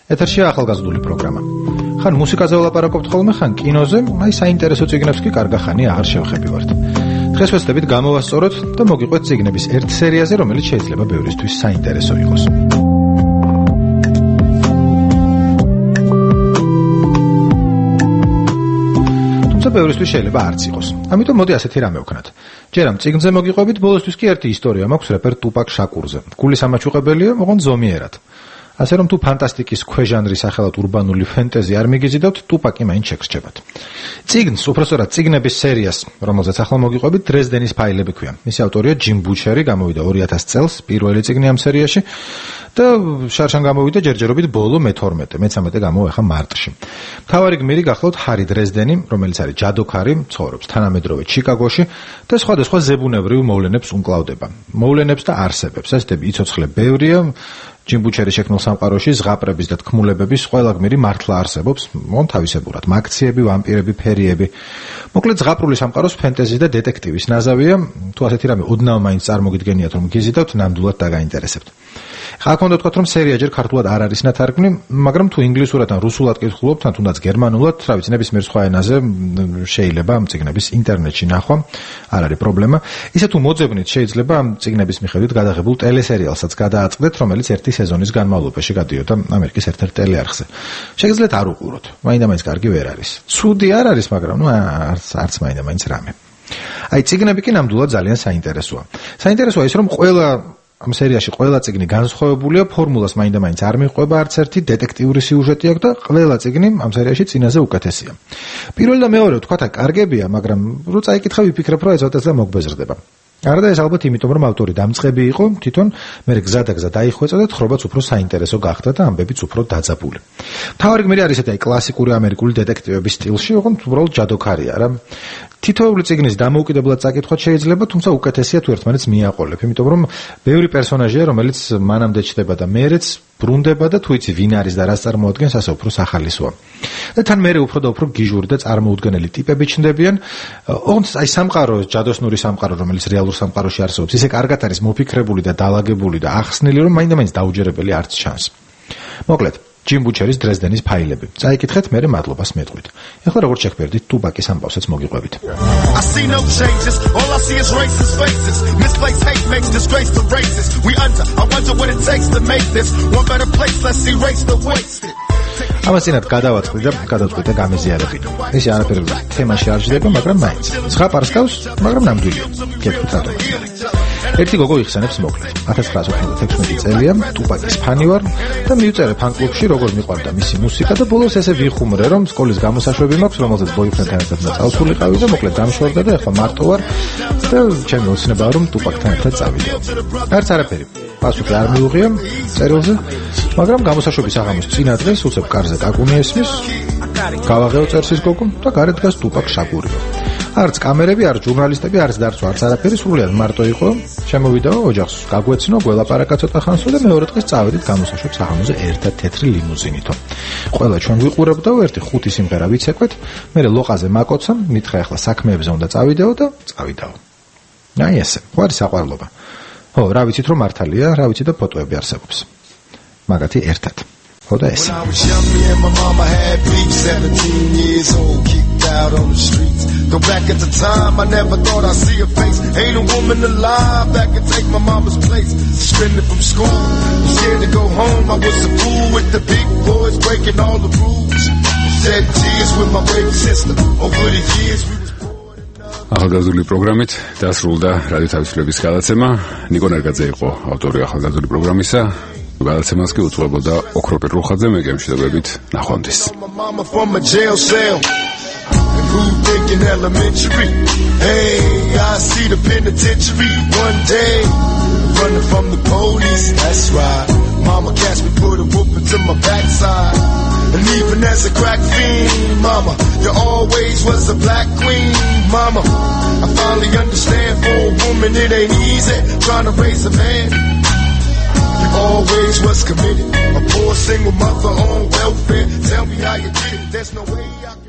ეთერშია ახალგაზრდული პროგრამა. ხან მუსიკაზე ვლაპარაკობთ ხოლმე, ხან კინოზე, აი საინტერესო წიგნებს კი კარგახანი აღარ შევხებივართ. დღეს ვეცდებით გამოვასწოროთ და მოგიყვეთ წიგნების ერთ სერიაზე, რომელიც შეიძლება ბევრისთვის საინტერესო იყოს. თუმცა ბევრისთვის შეიძლება არც იყოს. ამიტომ მოდი ასეთი რამე ვქნათ. ჯერ ამ წიგნზე მოგიყვებით, ბოლოსთვის კი ერთი ისტორია მაქვს რეპერ ტუპაკ შაკურზე. გულის ამაჩუყებელია, ოღონდ ზომიერად. ასე რომ თუ ფანტასტიკის ქვეჟანრის სახელად ურბანული ფენტეზი არ მიგიზიდავთ, ტუპაკი მაინც შეგრჩებათ. წიგნს, უბრალოდ წიგნების სერიას, რომელზეც ახლა მოგიყვებით, დრეზდენის ფაილები ქვია. მისი ავტორია ჯიმ ბუჩერი, გამოვიდა ორი ათას წელს, პირველი წიგნი ამ სერიაში და შარშან გამოვიდა ჯერჯერობით ბოლო მეთორმეტე, მეცამეტე გამოვა ახლა მარტში. მთავარი გმირი გახლავთ ჰარი დრეზდენი, რომელიც არის ჯადოქარი, ცხოვრობს თანამედროვე ჩიკაგოში და სხვადასხვა ზებუნებრივ მოვლენებს უმკლავდება. მოვლენებს და არსებებს, ასეთები იცოცხლე ბევრია. ჯიმ ბუჩერის შექმნილ სამყაროში ზღაპრების და თქმულებების ყველა გმირი მართლა არსებობს, მონ თავისებურად მაქციები, ვამპირები, ფერიები. მოკლედ ზღაპრული სამყაროს ფენტეზი და დეტექტივის ნაზავია, თუ ასეთი რამე ოდნავ მაინც წარმოგიდგენიათ რომ გიზიდავთ, ნამდვილად დაგაინტერესებთ. ხა აქ უნდა თქვათ რომ სერია ჯერ ქართულად არ არის ნათარგმნი, მაგრამ თუ ინგლისურად ან რუსულად კითხულობთ, ან თუნდაც გერმანულად, რა ვიცი, ნებისმიერ სხვა ენაზე შეიძლება ამ წიგნების ინტერნეტში ნახვა, არ არის პრობლემა. ისე თუ მოძებნით, შეიძლება ამ წიგნების მიხედვით გადაღებულ ტელესერიალსაც გადააწყდეთ, რომელიც ერთი სეზონის განმავლობაში გადიოდა ამერიკის ერთ-ერთ ტელეარხზე. შეგიძლიათ არ უყუროთ, მაინდა-მაინც კარგი ვერ არის. ცუდი არ არის, მაგრამ ნუ არც არც მაინდა-მაინც რამე. აი წიგნები კი ნამდვილად ძალიან საინტერესოა. საინტერესოა ის რომ ყველა ამ სერიაში ყველა წიგნი განსხვავებულია, ფორმულას მაინდა-მაინც არ მიყვება არც ერთი, დეტექტიური სიუჟეტი აქვს და ყველა წიგნი ამ სერიაში წინაზე უკეთესია. პირველი და მეორე თქვათ, აი კარგებია, მაგრამ რო წაიკითხა ვიფიქრებ, რომ ეცოტა მოგვეზრდება. არადა ეს ალბათ იმიტომ რომ ავტორი დამწყები იყო, თვითონ მე გზა და გზა დაიხვეწა და თხრობაც უფრო საინტერესო გახდა და ამბებიც უფრო დაძაბული. მთავარი გმირი არის ესეთი კლასიკური ამერიკული დეტექტივების სტილში, ოღონდ უბრალოდ ჯადოქარია რა. თითოეული წიგნის დამოუკიდებლად წაკითხვა შეიძლება, თუმცა უკეთესია თუ ერთმანეთს მიაყოლებ, იმიტომ რომ ბევრი პერსონაჟია, რომელიც მანამდე ჩდება და მერეც ბრუნდება და თუ იცი ვინ არის და რას წარმოადგენს, ასე უფრო სახალისოა. და თან მერე უფრო და უფრო გიჟური და წარმოუდგენელი ტიპები ჩნდებიან. ოღონდ აი სამყარო, ჯადოსნური სამყარო, რომელიც რეალურ სამყაროში არსებობს, ისე კარგად არის მოფიქრებული და დალაგებული და ახსნილი, რომ მაინდა-მაინც დაუჯერებელი არც ჩანს. მოკლედ ჯიმ ბუჩერის დრეზდენის ფაილები. წაიკითხეთ, მერე მადლობას მეტყვით. ეხლა როგორც შეგვერდით, ტუპაკის ამბავსაც მოგიყვებით. I see no changes, all I see is racist faces. Misplaced hate makes disgrace to races. We under, I wonder what it takes to make this one better place, let's erase the wasted. ამას წინათ გადავაწყდი და გადავწყვიტე და გამეზიარებინ. ისე არაფერი თემაში არ ჯდება, მაგრამ მაინც. ზღაპარს გავს, მაგრამ ნამდვილია. გეტყვით რატომ. ერთი გოგო იხსენებს მოკლედ. ათას ცხრაასი ოცდათექვსმეტი წელია, ტუპაკის ფანი ვარ და მივწერე ფან-კლუბში, როგორ მიყვარდა მისი მუსიკა და ბოლოს ესე ვიხუმრე, რომ სკოლის გამოსაშვები მაქვს, რომელზეც ბოიფრენდთან ერთად წავსულიყავი და მოკლედ დამშორდა და ეხლა მარტო ვარ და ჩემი ოცნებაა რომ ტუპაკთან ერთად წავიდე. არც არაფერი. პასუხი არ მიუღია წერილზე, მაგრამ გამოსაშვების აღამოს წინა დღეს უცებ კარზე კაკუნი ესმის, გავაღეო წერს ის გოგო და გარეთ დგას ტუპაკ შაკური. არც კამერები, არც ჟურნალისტები, არც დარწვა, არც არაფერი, სრულიად მარტო იყო. შემოვიდაო ოჯახს, გაგვეცნო, გველაპარაკა ცოტა ხანსო და მეორე დღეს წავედით გამოსაშობ საღამოზე ერთად თეთრი ლიმუზინითო. ყველა ჩვენ ვიყურებდაო, ერთი ხუთი სიმღერა ვიცეკვეთ, მე ლოყაზე მაკოცა, მითხრა ახლა საქმეებზე უნდა წავიდეო და წავიდაო. აი ესე, ვარ საყვარლობა. ო, რა ვიცით რომ მართალია, რა ვიცით და ფოტოები არსებობს. მაგათი ერთად. ხო და ესე. Out on the streets. Go back at the time, I never thought I'd see a face. Ain't a woman alive that could take my mama's place. Suspended from school, I'm scared to go home. I was a fool with the big boys breaking all the rules. Shed tears with my baby sister. Over the years we was ახალგაზრდული პროგრამით დასრულდა რადიო თავისუფლების გადაცემა. ნიკო ნერგაძე იყო ავტორი ახალგაზრდული პროგრამისა. გადაცემას კი უძღვებოდა ოქროპირ რუხაძე, მე გემშვიდობებით, ნახვამდის. Who thinking elementary? Hey, I see the penitentiary one day. Running from the police, that's right. Mama catch me, put a whoop into my backside. And even as a crack fiend, mama, you always was a black queen, mama. I finally understand for a woman it ain't easy trying to raise a man. You always was committed, a poor single mother on welfare. Tell me how you did it, there's no way I